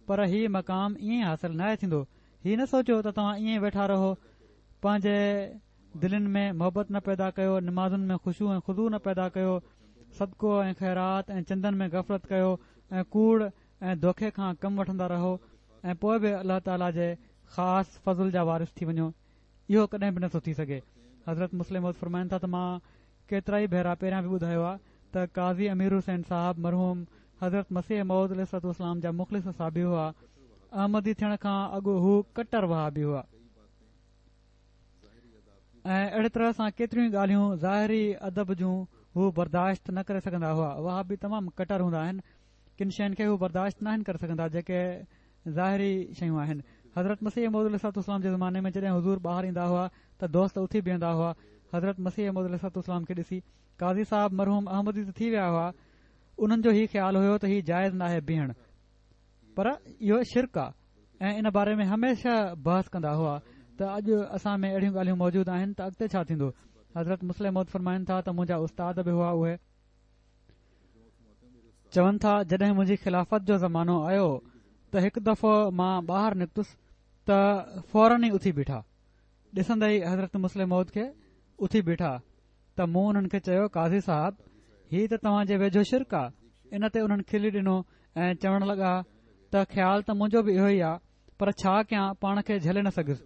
پر هي مقام ائين حاصل ناهي ٿيندو. هي نه سوچيو ته توهان ائين ويٺا رهو، پنهنجي دلين ۾ محبت نه پيدا ڪيو، نمازن ۾ خشوع ۽ خضوع نه پيدا ڪيو، صدقو ۽ خيرات ۽ چندن ۾ غفلت ڪيو ۽ ڪوڙ ۽ دوکي کان ڪم وٺندا رهو ۽ پوءِ به الله تعاليٰ جي خاص فضل جا وارث ٿي وڃو. اهو ڪڏهن به نٿو ٿي سگهي. حضرت مصلح موعود فرمائن ٿا ته مان ڪيترا ئي ڀيرا پهريان به ٻڌايو آهي ته قاضي امير حسين صاحب مرحوم حضرت مسيح موعود عليه الصلوة والسلام جا مخلص صحابي هئا. احمدي ٿيڻ کان اڳ هو ڪٽر وهابي هئا ۽ اهڙي طرح سان ڪيتريون ڳالهيون ظاهري ادب جون هو برداشت نه ڪري سگهندا هئا. وهابي تمام ڪٽر هوندا آهن، ڪن شين کي هو برداشت ناهن ڪري سگهندا جيڪي ظاهري شيون آهن. حضرت مسيح موعود عليه الصلوة والسلام جي زماني ۾ جڏهن حضور ٻاهر ايندا هئا ته دوست اٿي بيهندا هئا. حضرت مسيح موعود عليه الصلوة والسلام کي ڏسي قاضي صاحب مرحوم احمدي ته ٿي ويا هئا، انهن جو هي خيال هيو ته هي جائز ناهي بيهڻ، پر اهو شرڪ آهي ۽ ان باري ۾ هميشه بحث ڪندا هئا ته اڄ اسان ۾ اهڙيون ڳالهيون موجود آهن ته اڳتي ڇا ٿيندو. حضرت مصلح موعود فرمائن ٿا ته منهنجا استاد به هئا، اهي چون ٿا جڏهن منهنجي خلافت جو زمانو آيو ته هڪ دفعو مان ٻاهر نڪتس ته فورن ئي اٿي بيٺا. ڏسندي ئي حضرت مصلح موعود کي اٿي بيٺا ته مون انهن کي چيو قاضي صاحب هي ته توهان جي ويجهو شرڪ آهي. ان تي انهن کلي ڏنو ۽ چوڻ لڳا ته خيال ته منهنجو به اهو ئي آهي، پر ڇا ڪيان، پاڻ کي جهلي نه سگهيس.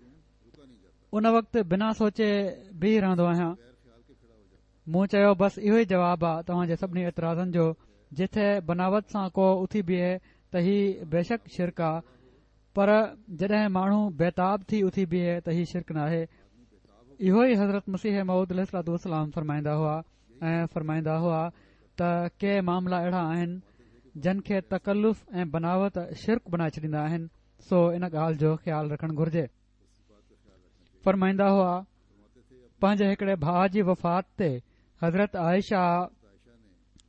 ان وقت بنا سوچي بيهي رهندو آهيان. مون چيو بس اهو ئي جواب آ توهان جي سڀني اعتراضن جو. جٿي بناوت سان ڪو اٿي بيهي ته هي بيشڪ شرڪ آ، پر جڏهن ماڻهو بيتاب ٿي اٿي بيهي ته هي شرڪ ناهي. اهو ئي حضرت مسيح موعود عليه الصلوة والسلام فرمائيندا هئا ۽ فرمائيندا هئا ته ڪي معاملا اهڙا آهن جن کي تڪلف ۽ بناوت شرڪ بڻائي ڇڏيندا آهن، سو ان ڳالهه جو خيال رکڻ گهرجي. فرمائيندا هئا پنهنجي هڪڙي ڀاءُ جي وفات تي حضرت عائشه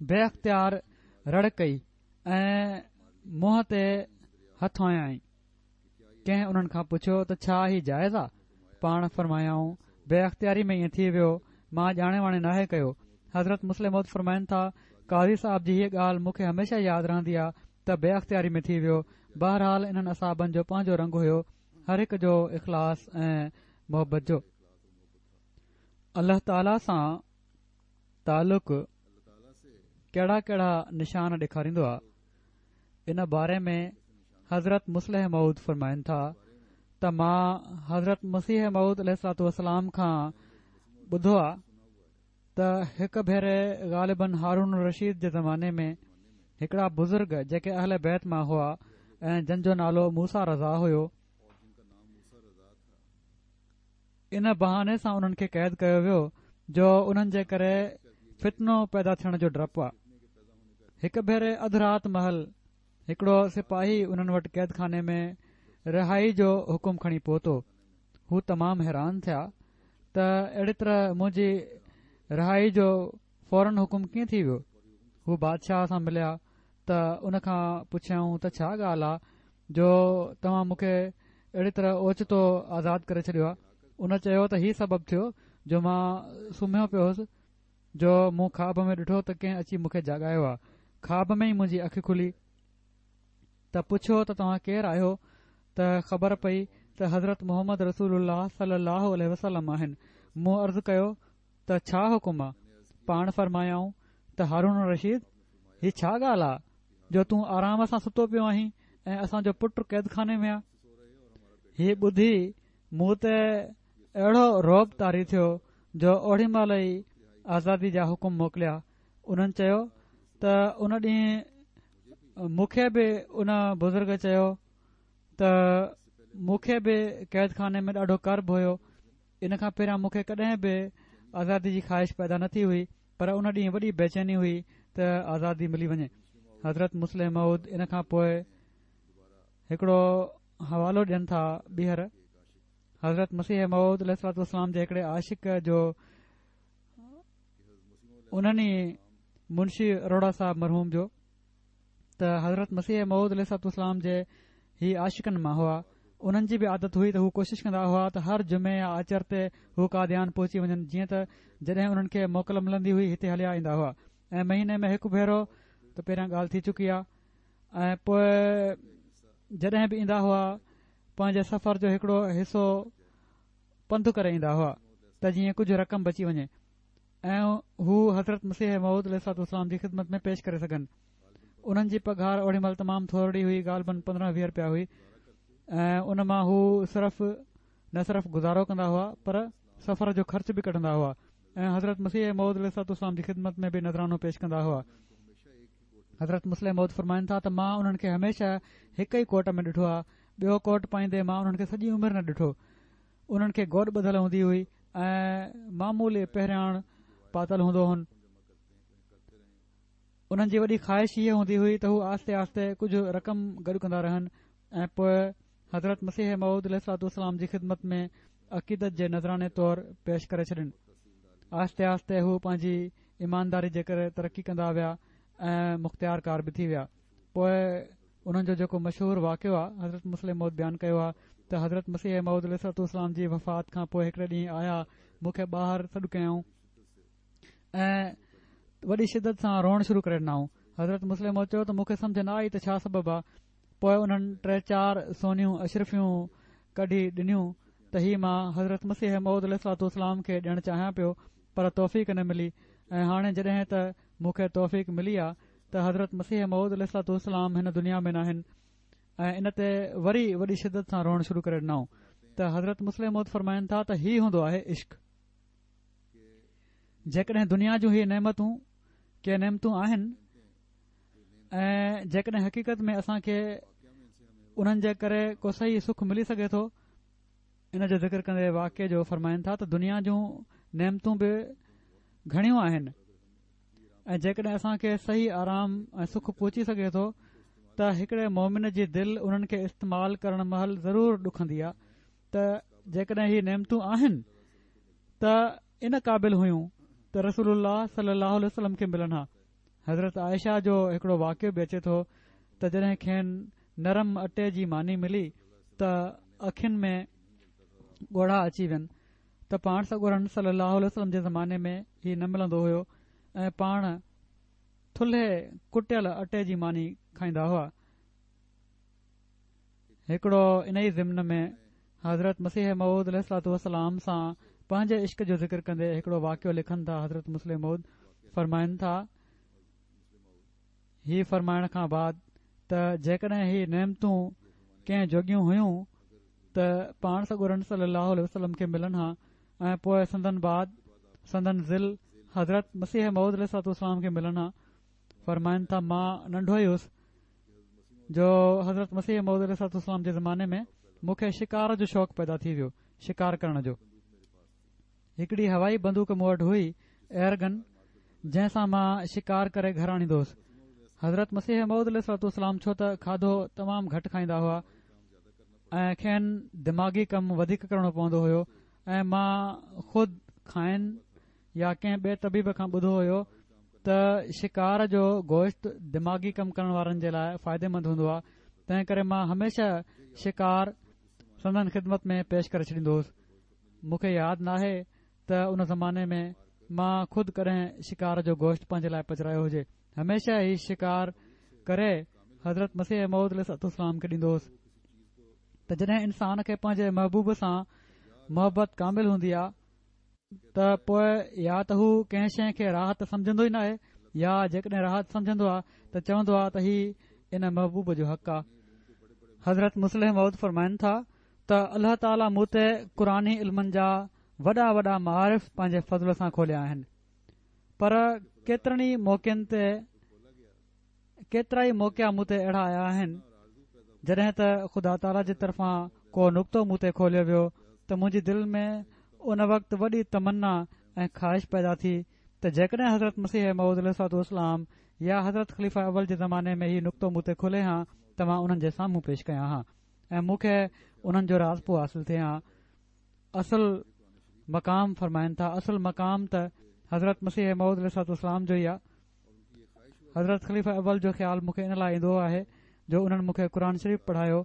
بي اختيار رڙ ڪئي ۽ منهن تي هٿ هنيائين. ڪنهن انهن کان پڇيو ته ڇا هي جائز آ؟ پاڻ فرمايائون بي اختياري ۾ ائين ٿي ويو، مان ڄاڻي واڻي ناهي ڪيو. حضرت مصلح موعود فرمائن ٿا قاضي صاحب جي هيء ڳالهه مون کي هميشه ياد رهندي آ ته بي اختياري ۾ ٿي ويو. بهرحال انهن اصحابن جو پنهنجو رنگ هيو، هر هڪ جو اخلاص ۽ محبت جو. الله تعاليٰ سان تعلق ڪهڙا ڪهڙا نشان ڏيکاريندو آ، ان باري ۾ حضرت مصلح موعود فرمائن ٿا ته مان حضرت مسيح موعود عليه الصلوة والسلام کان ٻڌو آ ته هڪ ڀيري غالباً هارون الرشيد جي زماني ۾ هڪڙا بزرگ جيڪي اهل بيت مان هئا ۽ جن جو نالو موسيٰ رضا هيو، ان بهاني سان انهن کي قيد ڪيو ويو جو انهن جي ڪري فتنو پيدا ٿيڻ جو ڊپ آ. هڪ ڀيري اڌ رات مهل هڪڙو سپاهي انهن وٽ قيد خاني ۾ رهائي جو حڪم کڻي پهتو. هو تمام حيران ٿيا ته اهڙي طرح منهنجي رهائي جو فورن حڪم ڪيئن ٿي ويو. هو بادشاهه سان مليا ته ان کان پڇيائون ته ڇا ڳالهه آ جو توهان مون کي اهڙي طرح اوچتو آزاد ڪري ڇڏيو آ؟ ان چيو ته هي سبب ٿيو جو مان سمهيو پيو هوس جو مون خواب ۾ ڏٺو ته ڪنهن اچي مون کي جاڳايو آ. خواب ۾ ئي منهنجي اک کلي ته پڇيو ته توهان ڪير آهيو؟ ته خبر پئي ته حضرت محمد رسول الله صلي الله عليه وسلم آهن. مون عرض ڪيو ته ڇا حڪم آ؟ پاڻ فرمايائون ته هارون الرشيد هي ڇا ڳالهه آ جو تون آرام سان ستو پيو آهين ۽ اسان جو پٽ قيد خاني ۾ آ؟ هي ٻڌي مون تي اهڙو رعب طاري ٿيو جو اوڙي مهل ئي آزادي جا حڪم موڪليا. انهن چيو ته ان ڏينهن مون کي به ان بزرگ چيو ته مون کي به قيد خاني ۾ ڏاڍو ڪرب هيو. ان کان پهريان مون کي ڪڏهن به آزادي جي خواهش پيدا نه ٿي هئي، پر ان ڏينهن وڏي بيچيني هئي ته آزادي ملي وڃي. حضرت مصلح موعود ان کان پوءِ هڪڙو حوالو ڏين ٿا ٻيهر حضرت مسيح موعود عليه الصلوة والسلام جي هڪڙي عاشق جو، انهن ئي منشي اروڙا صاحب مرحوم جو، ته حضرت مسيح موعود عليه الصلوة والسلام جي هي عاشقن مان هئا. انهن جي به عادت هئي ته هو ڪوشش ڪندا هئا ته هر جمعي يا آچر تي هو قاديان پهچي وڃن، جيئن ته جڏهن انهن کي موڪل ملندي هئي هتي هليا ايندا هئا ۽ مهيني ۾ هڪ ڀيرو ته پهريان ڳالهه ٿي چڪي آهي، ۽ پوءِ جڏهن به ايندا هئا پنهنجي سفر جو هڪڙو حصو پنڌ ڪري ايندا هئا ته جيئن ڪجهه رقم بچي وڃي ۽ هو حضرت مسيح موعود عليه الصلوة والسلام جي خدمت ۾ پيش ڪري سگهن. انهن جي پگهار اوڙي مهل تمام ٿورڙي هئي، غالباً پندرهن ويهه رپيا هئي، ۽ ان مان هو صرف نه صرف گذارو ڪندا هئا پر سفر جو خرچ به ڪڍندا هئا ۽ حضرت مسيح موعود عليه الصلوة والسلام جي خدمت ۾ به نذرانو پيش ڪندا هئا. حضرت مصلح موعود فرمائن ٿا ته مان انهن کي هميشه هڪ ئي ڪوٽ ۾ ڏٺو آهي، ٻيو ڪوٽ پائيندي مان انهن کي سڄي عمر نه ڏٺو. انهن کي گوڏ ٻڌل هوندي هئي ۽ معمولي پهرياڻ پاتل هوندو هن. انهن جي وڏي خواهش هيءَ هوندي هئي ته هو آهستي آهستي ڪجهه رقم گڏ ڪندا رهن ۽ پوءِ حضرت مسيح موعود عليه الصلوة والسلام جي خدمت ۾ عقيدت جي نذراني طور پيش ڪري ڇڏين. آهستي آهستي هو پنهنجي ايمانداري جي ڪري ترقي ڪندا ويا ۽ مختيار ڪار به ٿي ويا. پوءِ انهن جو جيڪو مشهور واقعو آهي حضرت مصلح موعود بيان ڪيو آهي ته حضرت مسيح موعود عليه الصلوة والسلام جي وفات کان پوءِ هڪڙي ڏينهن آيا، مون کي ٻاهر سڏ ڪيائون ۽ وڏي شدت سان روئڻ شروع ڪري ڏنائون. حضرت مصلح موعود چيو ته مون کي سمجهه نه آئي ته ڇا سبب آهي. پوءِ انهن ٽي چار سونيون اشرفيون ڪڍي ڏنيون ته هي مان حضرت مسيح موعود عليه الصلوة والسلام کي ڏيڻ چاهيان پيو پر توفيق نه ملي، ۽ هاڻي جڏهن ته مون کي توفيق ملي آ ته حضرت مسيح موعود عليه الصلوة والسلام هن دنيا ۾ ناهن ۽ ان تي وري وڏي شدت سان روئڻ شروع ڪري ڏنائون. ته حضرت مصلح موعود فرمائن ٿا ته هي هوندو آهي عشق. جيڪڏهن دنيا جون هي نعمتون ڪي نعمتون آهن ۽ جيڪڏهن حقيقت ۾ اسان کي انهن جي ڪري ڪو صحيح سک ملي سگهي ٿو، ان جو ذڪر ڪندي واقعي جو فرمائن ٿا ته دنيا جون نعمتون به گهڻيون آهن ۽ جيڪڏهن اسان کي صحيح آرام ۽ سک پهچي سگهي ٿو ته هڪڙي مومن جي دل انهن کي استعمال ڪرڻ مهل ضرور ڏکندي آهي ته جيڪڏهن هي نعمتون آهن ته ان قابل هيون ته رسول الله صلي الله عليه وسلم کي ملن ها. حضرت عائشه جو هڪڙو واقعو به اچي ٿو ته جڏهن کين نرم اٽي جي ماني ملي ته اکين ۾ ڳوڙها اچي وين ته پاڻ سڳورن صلي الله عليه وسلم جي زماني ۾ هي نه ملندو هيو ۽ پاڻ ٿلهي ڪٽيل اٽي جي ماني کائيندا هئا. هڪڙو ان ئي ضمن ۾ حضرت مسيح موعود عليه الصلوة والسلام سان پنهنجي عشق جو ذڪر ڪندي هڪڙو واقعو لکن ٿا. حضرت مصلح موعود فرمائن ٿا، هي فرمائڻ کان بعد ته جيڪڏهن هي نعمتون ڪنهن جوڳيون هيون ته پاڻ سڳورن صلي الله عليه وسلم کي ملن ها ۽ پوء سندن بعد سندن ظل حضرت مسيح موعود عليه الصلوة والسلام کي ملن ها. فرمائن ٿا، مان ننڍو ئي هوس جو حضرت مسيح موعود عليه الصلوة والسلام جي زماني ۾ مون کي شڪار جو شوق پيدا ٿي ويو. شڪار ڪرڻ جو هڪڙي هوائي بندوق مون وٽ هئي، ايئرگن، جنهن سان مان شڪار ڪري گهر آڻيندو هوس. حضرت مسيح موعود عليه الصلوة والسلام ڇو ته کاڌو تمام گهٽ کائيندا هئا ۽ کين دماغي ڪم وڌيڪ ڪرڻو پوندو هيو ۽ مان خود کائن يا ڪنهن ٻئي طبيب کان ٻڌو هيو ته شڪار جو گوشت دماغي ڪم ڪرڻ وارن جي لاء فائديمند هوندو آهي، تنهن ڪري مان هميشه شڪار سندن خدمت ۾ پيش ڪري ڇڏيندو هوس. مون کي ياد ناهي ته ان زماني ۾ مان خود ڪڏهن شڪار جو گوشت پنهنجي لاء پچرايو هجي. هميشه هي شڪار ڪري حضرت مسيح موعود عليه الصلوة والسلام کي ڏيندو هوس. ته جڏهن انسان کي پنهنجي محبوب سان محبت ڪامل هوندي آهي ته پوء يا ته هو ڪنهن شيءِ کي راحت سمجهندو ئي ناهي يا جيڪڏهن راحت سمجهندو آهي ته چوندو آهي ته هي ان محبوب جو حق آهي. حضرت مصلح موعود فرمائن ٿا ته الله تعاليٰ مون تي قرآني علمن جا وڏا وڏا معارف پنهنجي فضل سان کوليا آهن، پر ڪيترن ئي موقعن تي ڪيترا ئي موقعا مون تي اهڙا آيا آهن جڏهن ته خدا تعاليٰ جي طرفان ڪو نقطو مون تي کوليو ويو ته منهنجي دل ۾ ان وقت وڏي تمنا ۽ خواهش پيدا ٿي ته جيڪڏهن حضرت مسيح موعود عليه الصلوة والسلام يا حضرت خليفه اول جي زماني ۾ هي نقطو مون تي کلي ها ته مان انهن جي سامهون پيش ڪيان ها ۽ مون کي انهن جو راضپو حاصل ٿئي ها. اصل مقام فرمائن ٿا، اصل مقام ته حضرت مسيح موعود عليه الصلوة والسلام جو ئي آهي. حضرت خليفه اول جو خيال مون کي ان لاءِ ايندو آهي جو انهن مون کي قرآن شريف پڙهايو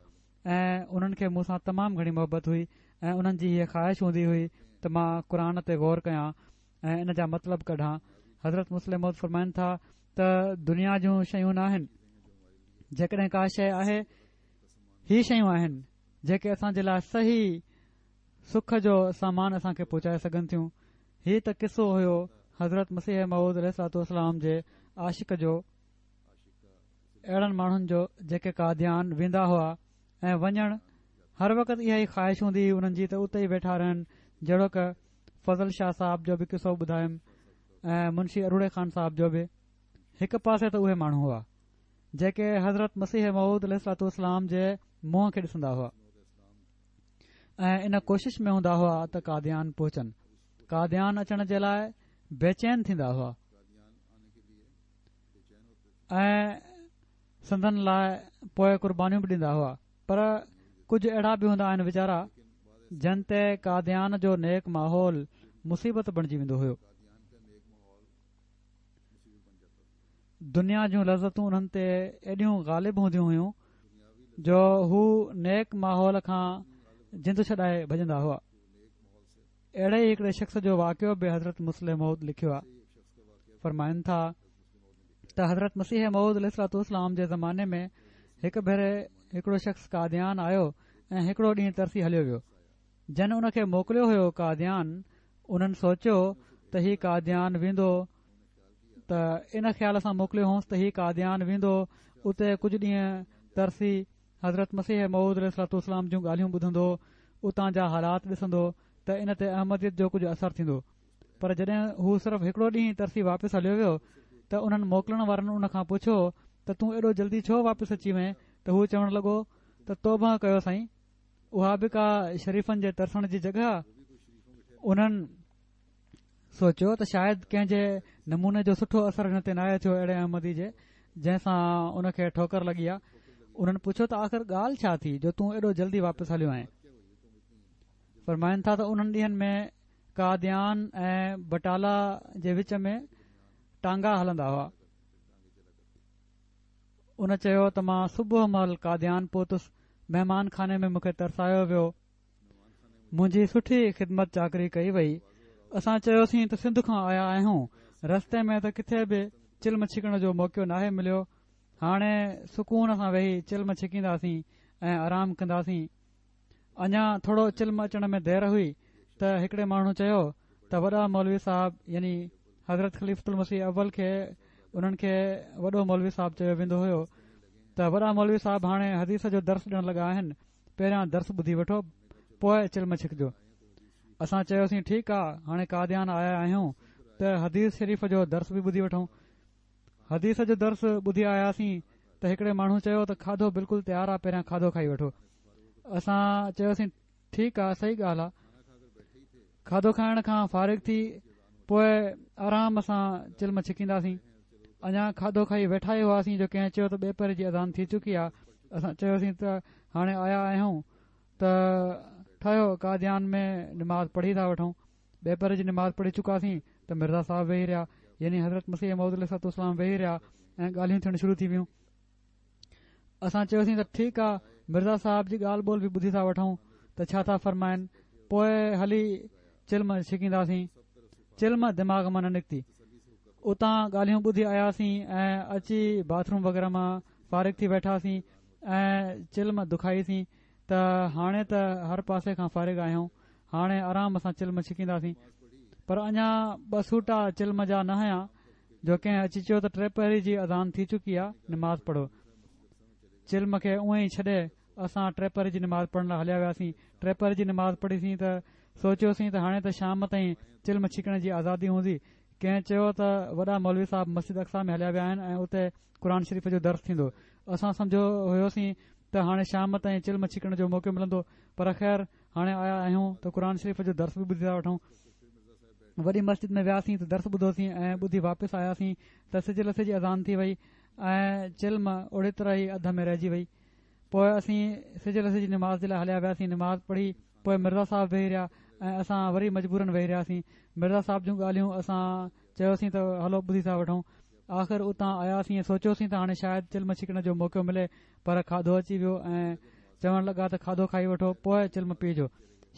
۽ انهن کي مون سان تمام گهڻي محبت هئي ۽ انهن جي هيءَ خواهش هوندي هئي ته مان قرآن تي غور ڪيان ۽ ان جا مطلب ڪڍان. حضرت مصلح موعود فرمائن ٿا ته دنيا جون شيون ناهن، جيڪڏهن ڪا شيءِ آهي هي شيون آهن جيڪي اسان جي لاءِ صحيح سک جو سامان اسان کي پهچائي سگهن ٿيون. هي ته قصو هيو حضرت مسيح موعود عليه الصلوة والسلام جي عاشق جو، اهڙن ماڻهن جو جيڪي قاديان ويندا هئا ۽ وڃڻ هر وقت اها ئي خواهش هوندي هئي انهن جي ته اتي ئي ويٺا رهن، جهڙوڪ فضل شاهه صاحب جو به قصو ٻڌايم ۽ منشي اروڙي خان صاحب جو به. هڪ پاسي ته اهي ماڻهو هئا جيڪي حضرت مسيح موعود عليه الصلوة والسلام جي منهن کي ڏسندا هئا ۽ ان ڪوشش ۾ هوندا هئا ته قاديان پهچن. قاديان اچڻ جي لاءِ بيچين ٿيندا هئا ۽ سندن لاءِ پوءِ قربانيون به ڏيندا هئا. پر ڪجهه اهڙا به هوندا آهن ويچارا جن تي قاديان جو نيڪ ماحول مصيبت بڻجي ويندو هيو. دنيا جون لذتون انهن تي ايڏيون غالب هونديون هيون جو هو نيڪ ماحول کان جند ڇڏائي ڀڄندا هئا. اهڙي ئي هڪڙي شخص جو واقعو به حضرت مصلح موعود لکيو آهي. فرمائن ٿا ته حضرت مسيح موعود عليه الصلوة والسلام جي زماني ۾ هڪ ڀيري هڪڙو شخص قاديان آيو ۽ هڪڙو ڏينهن ترسي هليو ويو. جن ان کي موڪليو هيو قاديان، انهن سوچيو ته هي قاديان ويندو ته ان خيال سان موڪليو هوس ته هي قاديان ويندو، اتي ڪجهه ڏينهن ترسي حضرت مسيح موعود عليه الصلوة والسلام جون ڳالهيون ٻڌندو، اتان جا حالات ڏسندو ته ان تي احمديت جو ڪجهه اثر ٿيندو. پر جڏهن هو صرف هڪڙو ڏينهن ترسي واپس هليو ويو ته انهن موڪلڻ وارن ان کان پڇيو ته تون ايڏو جلدي ڇو واپس اچي وئين؟ ته هو چوڻ لڳو ته توبه ڪيو سائين، اها به ڪا شريفن جي ترسڻ جي جڳهه آ؟ انهن سوچيو ته شايد ڪنهن جي نموني جو سٺو اثر هن تي ناهي ٿيو اهڙي احمدي جي جنهن سان ان کي ٺوڪر لڳي آ. انهن پڇيو ته آخر ڳالهه ڇا ٿي جو تون ايڏو جلدي واپس هليو آئين؟ فرمائن ٿا ته انهن ڏينهن ۾ قاديان ۽ بٽالا جي وچ ۾ ٽانگا هلندا هئا. ان چيو ته مان صبح مهل قاديان پهتس، مهمان خاني ۾ مون کي ترسايو ويو، منهنجي سٺي خدمت چاڪري ڪئي وئي. اسان چيوسين ته سنڌ کان آيا آهيون، رستي ۾ ته ڪٿي به چلم ڇڪڻ جو موقعو ناهي مليو، هاڻي سڪون سان ويهي چلم ڇڪينداسين ۽ آرام ڪنداسين. اڃا ٿورو چلم اچڻ ۾ دير هئي ته هڪڙي ماڻهو چيو ته وڏا مولوي صاحب، يعني حضرت خليفة المسيح اول کي انهن کي وڏو مولوي صاحب چيو ويندو هيو، ته وڏا مولوي صاحب هاڻي حديث جو درس ڏيڻ لڳا آهن، پهريان درس ٻڌي وٺو پوء چلم ڇڪجو. اسان چيوسين ٺيڪ آ، هاڻي قاديان آيا آهيون ته حديث شريف جو درس به ٻڌي وٺون. حديث جو درس ٻڌي آياسين ته هڪڙي ماڻهو چيو ته کاڌو بلڪل تيار آ، پهريان کاڌو کائي وٺو. اسان چيوسين ٺيڪ آ، صحيح ڳالهه آ. کاڌو کائڻ کان فارغ ٿي پوء آرام سان چلم ڇڪينداسين. اڃا کاڌو کائي ويٺا ئي هئاسين جو ڪنهن چيو ته ٻئي پهر جي اذان ٿي چڪي آ. اسان چيوسين ته هاڻي آيا آهيون ته ٺهيو قاديان ۾ نماز پڙهي ٿا وٺون. ٻئي پهر جي نماز پڙهي چڪاسين ته مرزا صاحب ويهي رهيا، يعني حضرت مسيح موعود عليه الصلوة والسلام ويهي رهيا ۽ ڳالهيون ٿيڻ شروع ٿي ويون. اسان چيوسين ته ٺيڪ آ، مرزا صاحب جي ڳالهه ٻولهه به ٻڌي ٿا وٺون ته ڇا ٿا فرمائن، پوء هلي چلم ڇڪينداسين. چلم دماغ مان نه نڪتي. اتان ڳالهيون ٻڌي آياسين ۽ اچي باٿروم وغيره مان فارغ ٿي ويٺاسين ۽ چلم دکائيسين ته هاڻي ته هر پاسي کان فارغ آهيون، هاڻي آرام سان چلم ڇڪينداسين. پر اڃا ٻه سوٽا چلم جا نه هيا جو ڪنهن اچي چيو ته ٽي پهري جي اذان ٿي چڪي آ، نماز پڙهو. چلم کي اونئن ئي ڇڏي اسان ٽي پهري جي نماز پڙهڻ لاء هليا وياسين. ٽي پهري جي نماز پڙهيسين ته سوچيوسين ته هاڻي ته شام تائين چلم ڇڪڻ جي آزادي هوندي. ڪنهن چيو ته وڏا مولوي صاحب مسجد اقصيٰ ۾ هليا ويا آهن ۽ اتي قرآن شريف جو درس ٿيندو. اسان سمجهيو هيوسين ته هاڻي شام تائين چلم ڇڪڻ جو موقعو ملندو، پر خير هاڻي آيا آهيون ته قرآن شريف جو درس به ٻڌي ٿا وٺون. وڏي مسجد ۾ وياسين ته درس ٻڌوسين ۽ ٻڌي واپس آياسين ته سج لٿي جي اذان ٿي وئي ۽ چلم اوڙي طرح ئي اڌ ۾ رهجي وئي. پوء اسين سج لٿي جي نماز جي لاء هليا وياسين. نماز پڙهي پوء مرزا صاحب ويهي رهيا ۽ اسان وري مجبورن ويهي رهياسين. مرزا صاحب جون ڳالهيون اسان چيوسين ته هلو ٻڌي ٿا وٺون. آخر اتان آياسين ۽ سوچيوسين ته هاڻي شايد چلم ڇڪڻ جو موقعو ملي، پر کاڌو اچي ويو ۽ چوڻ لڳا ته کاڌو کائي وٺو پوء چلم پيئجو.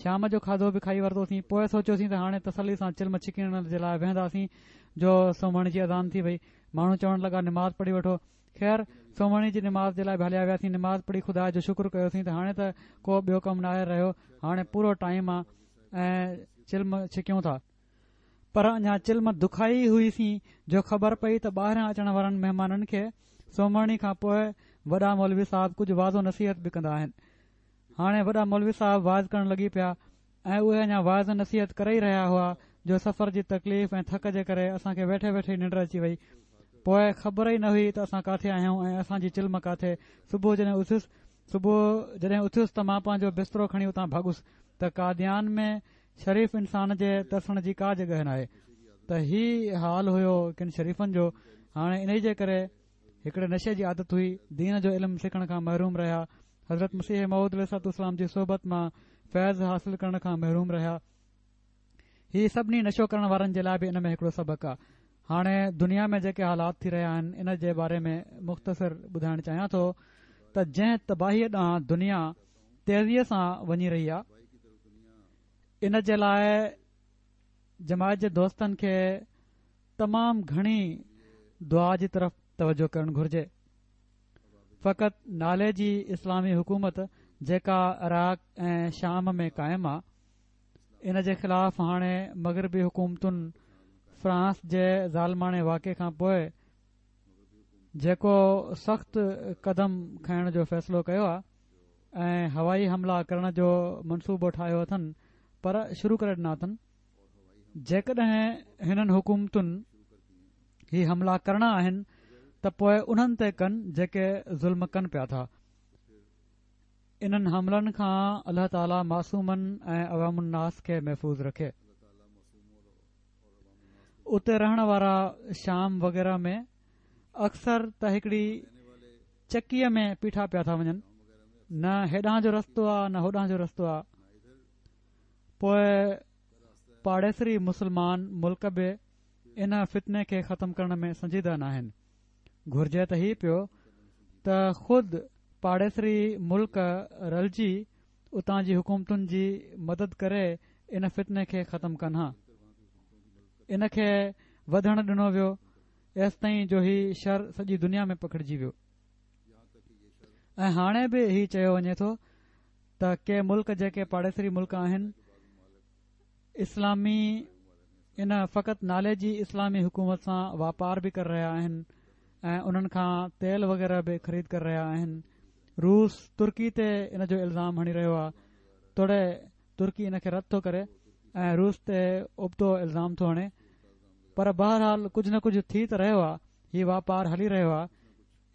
شام جو کاڌو به کائي ورتوسين. پوء سوچيوسين ته هاڻي تسلي سان چلم ڇڪڻ جي لاء ويهنداسين جو سومهڻي جي اذان ٿي وئي. ماڻهو چوڻ لڳا نماز پڙهي وٺو. خير سومهڻي جي نماز جي لاء به هليا وياسين. نماز پڙهي خدا جو شڪر ڪيوسين ته هاڻي ته ڪو ٻيو ڪم ناهي رهيو، هاڻي پورو ٽائيم آ ۽ چلم ڇڪيون ٿا. پر اڃا چلم دکائي هئيسين جو خبر پئي ته ٻاهران اچڻ وارن مهمانن کي سومهڻي کان پوء وڏا مولوي صاحب ڪجهه وعظ و نصيحت به ڪندا آهن. هاڻي وڏا مولوي صاحب واعظ ڪرڻ لڳي پيا ۽ اهي اڃا واعظ نصيحت ڪري ئي رهيا هئا جو سفر جي تڪليف ۽ ٿڪ جي ڪري اسان کي ويٺي ويٺي ننڊ اچي وئي. پوء خبر ئي نه هئي ته اسان ڪاٿي آهيون ۽ اسان جي چلم ڪاٿي. صبح جڏهن اٿيس صبح جڏهن اٿيس ته مان پنهنجو بسترو کڻي اتان ڀڳس ته قاديان ۾ شريف انسان جي ترسڻ جي ڪا جڳهه ناهي. ته هي حال هيو ڪن شريفن جو. هاڻي انهي جي ڪري هڪڙي نشي جي عادت هئي، دين جو علم سکڻ کان محروم رهيا، حضرت مسيح موعود عليه الصلوة والسلام جي صحبت مان فيض حاصل ڪرڻ کان محروم رهيا. هي سڀني نشو ڪرڻ وارن جي لاء به ان ۾ هڪڙو سبق آ. هاڻي دنيا ۾ جيڪي حالات ٿي رهيا آهن ان جي باري ۾ مختصر ٻڌائڻ چاهيان ٿو ته جنهن تباهيء ڏانهن دنيا تيزيء سان وڃي رهي آ، ان جي لاء جماعت جي دوستن کي تمام گهڻي دعا جي طرف توجه ڪرڻ گهرجي. فقط نالي جي اسلامي حڪومت جيڪا عراق ۽ شام ۾ قائم آ، ان جي خلاف هاڻي مغربي حڪومتن فرانس جي ظالماڻي واقعي کان پوء جيڪو سخت قدم کڻڻ جو فيصلو ڪيو آ، ۽ هوائي حملا ڪرڻ جو منصوبو ٺاهيو اٿن، پر شروع ڪري ڏنا اٿن. جيڪڏهن هنن حڪومتن هي حملا ڪرڻا آهن ته پوء انهن تي ڪن جيڪي ظلم ڪن پيا ٿا. انهن حملن کان الله تعالي معصومن ۽ عوام الناس کي محفوظ رکي. اتي رهڻ وارا شام وغيره ۾ اڪثر ته هڪڙي چڪيء ۾ پيٺا پيا ٿا وڃن، نه هيڏانهن جو رستو آ نه هوڏانهن جو رستو آ. پوء پاڙيسري مسلمان ملڪ به ان فتني کي ختم ڪرڻ ۾ سنجيده ناهن. گهرجي ته هي پيو ته خود پاڙيسري ملڪ رلجي اتان جي حڪومتن جي مدد ڪري ان فتني کي ختم ڪن ها. ان کي وڌڻ ڏنو ويو ايستائين جو هي شر سڄي دنيا ۾ پکڙجي ويو ۽ هاڻي به هي چيو وڃي ٿو ته ڪي ملڪ جيڪي پاڙيسري ملڪ آهن اسلامي ان فقط نالي جي اسلامي حڪومت سان واپار به ڪري رهيا آهن ۽ انهن کان تيل وغيره به خريد ڪري رهيا آهن. روس ترڪي تي ان جو الزام هڻي رهيو آهي، توڙي ترڪي ان کي رد ٿو ڪري ۽ روس تي ابتو الزام ٿو هڻي، پر بهرحال ڪجهه نه ڪجهه ٿي ته رهيو آهي، هي واپار هلي رهيو آهي.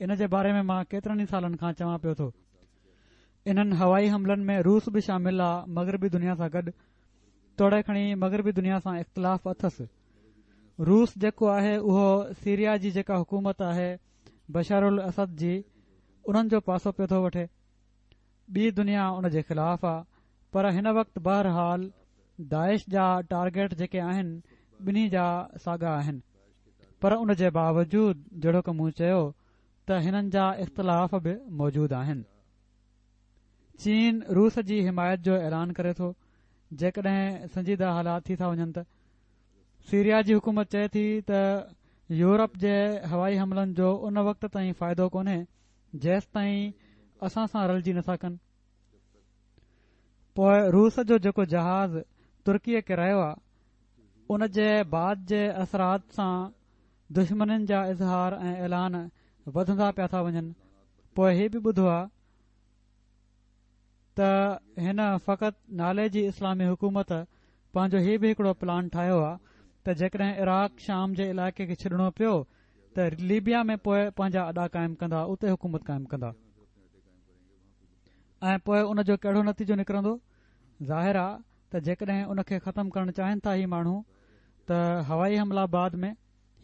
ان جي باري ۾ مان ڪيترن ئي سالن کان چوان پيو ٿو. انهن هوائي حملن ۾ روس به شامل آ مغربي دنيا سان گڏ، توڙي کڻي مغربي دنيا سان اختلاف اٿس. روس جيڪو آهي اهو سيريا جي جيڪا حڪومت آهي بشار الاسد جي انهن جو پاسو پيو ٿو وٺي. ٻي دنيا ان جي خلاف آ، پر هن وقت بهرحال داعش جا ٽارگيٽ جيڪي آهن ٻنهي جا ساڳا آهن، پر ان جي باوجود جهڙوڪ مون چيو ته هنن جا اختلاف به موجود آهن. چين روس جي حمايت جو اعلان ڪري ٿو جيڪڏهن سنجيده حالات ٿي ٿا وڃن ته. سيريا جي حڪومت چئي ٿي ته يورپ جي هوائي حملن جو ان وقت تائين فائدو ڪونهي جيستائين اسان سان رلجي نٿا ڪن. پوء روس جو جيڪو جهاز ترڪيء ڪيرايو آ ان جي بعد جي اثرات سان دشمنين جا اظهار ۽ اعلان وڌندا پيا ٿا وڃن. پوء هي به ٻڌو آ ته هن فقط نالي جي اسلامي حڪومت پنهنجو هي به هڪڙو پلان ٺاهيو آ ته جيڪڏهن عراق شام جي علائقي کي ڇڏڻو پيو ته ليبيا ۾ پوء پنهنجا اڏا قائم ڪندا، اتي حڪومت قائم ڪندا ۽ پوء ان جو ڪهڙو نتيجو نڪرندو؟ ظاهر آ ته جيڪڏهن ان کي ختم ڪرڻ چاهين ٿا هي ماڻهو ته هوائي حملا بعد ۾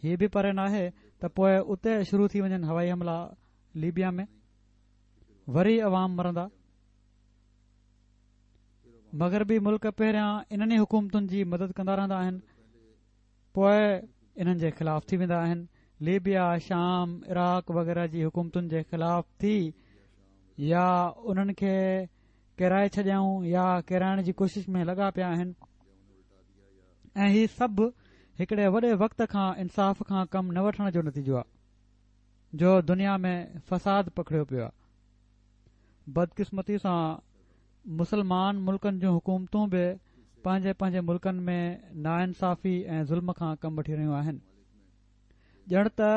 هي به پري ناهي ته پوء اتي شروع ٿي وڃن هوائي حملا ليبيا ۾ وري عوام مرندا. مغربي ملڪ پهريان انهن ئي حڪومتن جي مدد ڪندا رهندا آهن، پوء انهن جي خلاف ٿي ويندا آهن. ليبيا، شام، عراق وغيره جي حڪومتن جي خلاف ٿي يا انهن کي ڪيرائي ڇڏيائون يا ڪيرائڻ جي ڪوشش ۾ لڳا پيا آهن ۽ هي سڀ هڪڙي وڏي وقت کان انصاف کان ڪم نه وٺڻ جو نتيجو آهي جو دنيا ۾ فساد پکڙيو پيو آهي. بدقسمتي سان مسلمان ملڪن جون حڪومتون به پنهنجي پنهنجي ملڪن ۾ ناانصافي ۽ ظلم کان ڪم وٺي رهيون آهن. ڄڻ ته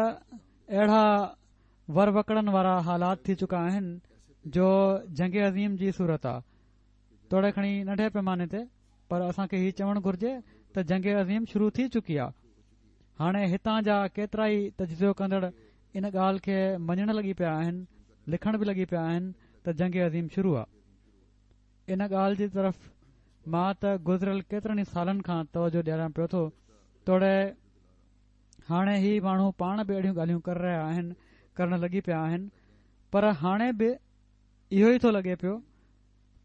اهڙا ور وڪڙن وارا حالات ٿي چڪا آهن جو جنگ عظيم جي صورت آ، توڙي کڻي ننڍي پيماني تي، پر اسان کي هي چوڻ گهرجي ته جنگ عظيم شروع ٿي چڪي آ. هاڻي هتان جا ڪيترائي تجزيو ڪندڙ ان ڳالهه کي مڃڻ لڳي پيا آهن، لکڻ به لڳي پيا آهن ته جنگ عظيم شروع آ. ان ڳالهه جي طرف مان ته گذريل ڪيترن ئي سالن کان توجه ڏياريان پيو ٿو، توڙي هاڻي هي ماڻهو پاڻ به اهڙيون ڳالهيون ڪري رهيا آهن، ڪرڻ لڳي پيا آهن، پر هاڻي به اهو ئي ٿو لڳي پيو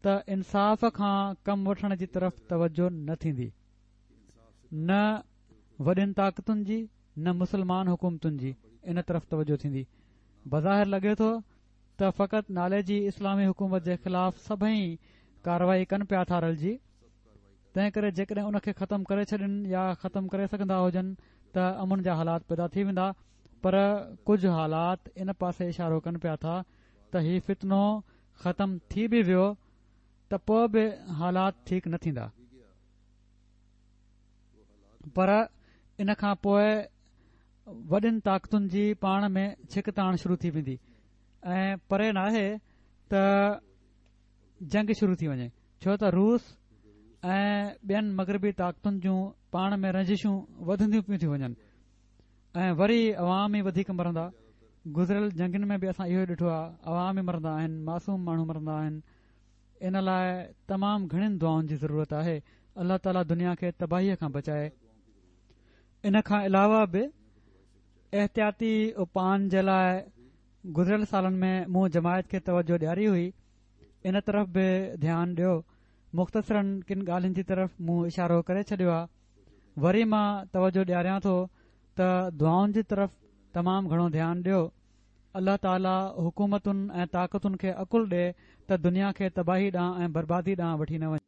ته انصاف کان ڪم وٺڻ جي طرف توجه نه ٿيندي، نه وڏين طاقتن جي نه مسلمان حڪومتن جي ان طرف توجه ٿيندي. بظاهر لڳي ٿو ته فقط نالي جي اسلامي حڪومت جي خلاف سڀئي ڪارروائي ڪن پيا ٿا رلجي، تنهن ڪري جيڪڏهن ان کي ختم ڪري ڇڏين يا ختم ڪري سگهندا هجن ته امن جا حالات پيدا ٿي ويندا، پر ڪجهه حالات ان پاسي اشارو ڪن پيا ٿا ته هي فتنو ختم ٿي به ويو ته پوء به حالات ٺيڪ نه ٿيندا، پر ان کان پوء وڏين طاقتن جي پاڻ ۾ ڇڪتاڻ شروع ٿي ويندي ۽ پري ناهي ته جنگ شروع ٿي وڃي، ڇو ته روس ۽ ٻين مغربي طاقتن جون پاڻ ۾ رنجشون وڌنديون پيون ٿي وڃن ۽ وري عوام ئي وڌيڪ مرندا. گذريل جنگن ۾ به اسان اهو ڏٺو آهي، عوام ئي مرندا آهن، معصوم ماڻهو مرندا آهن. ان لاءِ تمام گهڻين دعائن جي ضرورت آهي. الله تعاليٰ دنيا کي تباهيءَ کان بچائي. ان کان علاوه به احتياطي اپائن جي لاءِ گذريل سالن ۾ مون جماعت کي توجه ڏياري هئي، ان طرف به ڌيان ڏيو. مختصراً ڪن ڳالهين جي طرف مون اشارو ڪري ڇڏيو آهي. وري مان توجه ڏياريان ٿو ته دعائن جي طرف تمام گهڻو ڌيان ڏيو. الله تعاليٰ حڪومتن ۽ طاقتن کي عقل ڏي ته دنيا کي تباهي ڏانهن ۽ بربادي ڏانهن وٺي نه وڃي.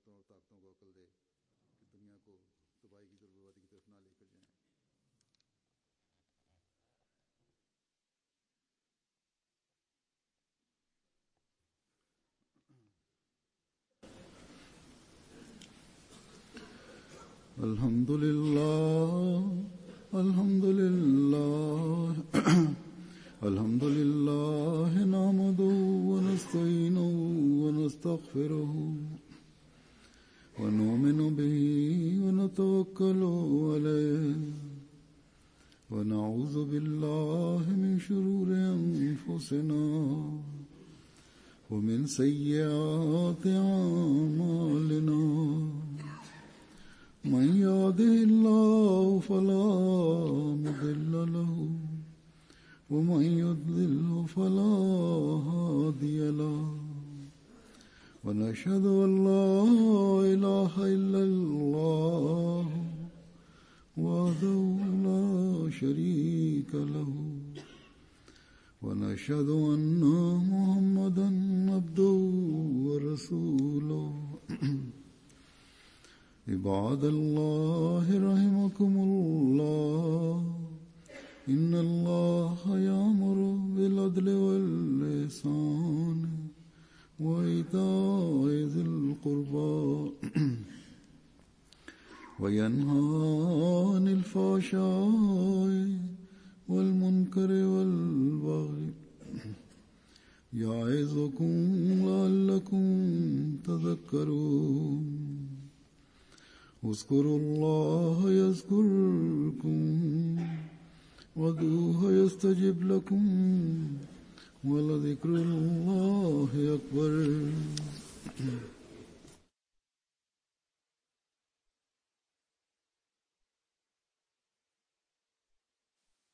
الحمد لله الحمد لله الحمد لله نحمده ونستعينه ونستغفره ونؤمن به ونتوكل عليه ونعوذ بالله من شرور أنفسنا ومن سيئات أعمالنا من يهده الله فلا مضل له ومن يضلل فلا هادي له ونشهد أن لا إله إلا الله وحده لا شريك له ونشهد أن محمدا عبده ورسوله. عباد الله رحمكم الله، إن الله يأمر بالعدل والإحسان وإيتاء ذي القربى وينهى عن الفحشاء والمنكر والبغي يعظكم لعلكم تذكرون. اذكروا الله يذكركم وادعوه يستجب لكم ولذكر الله أكبر.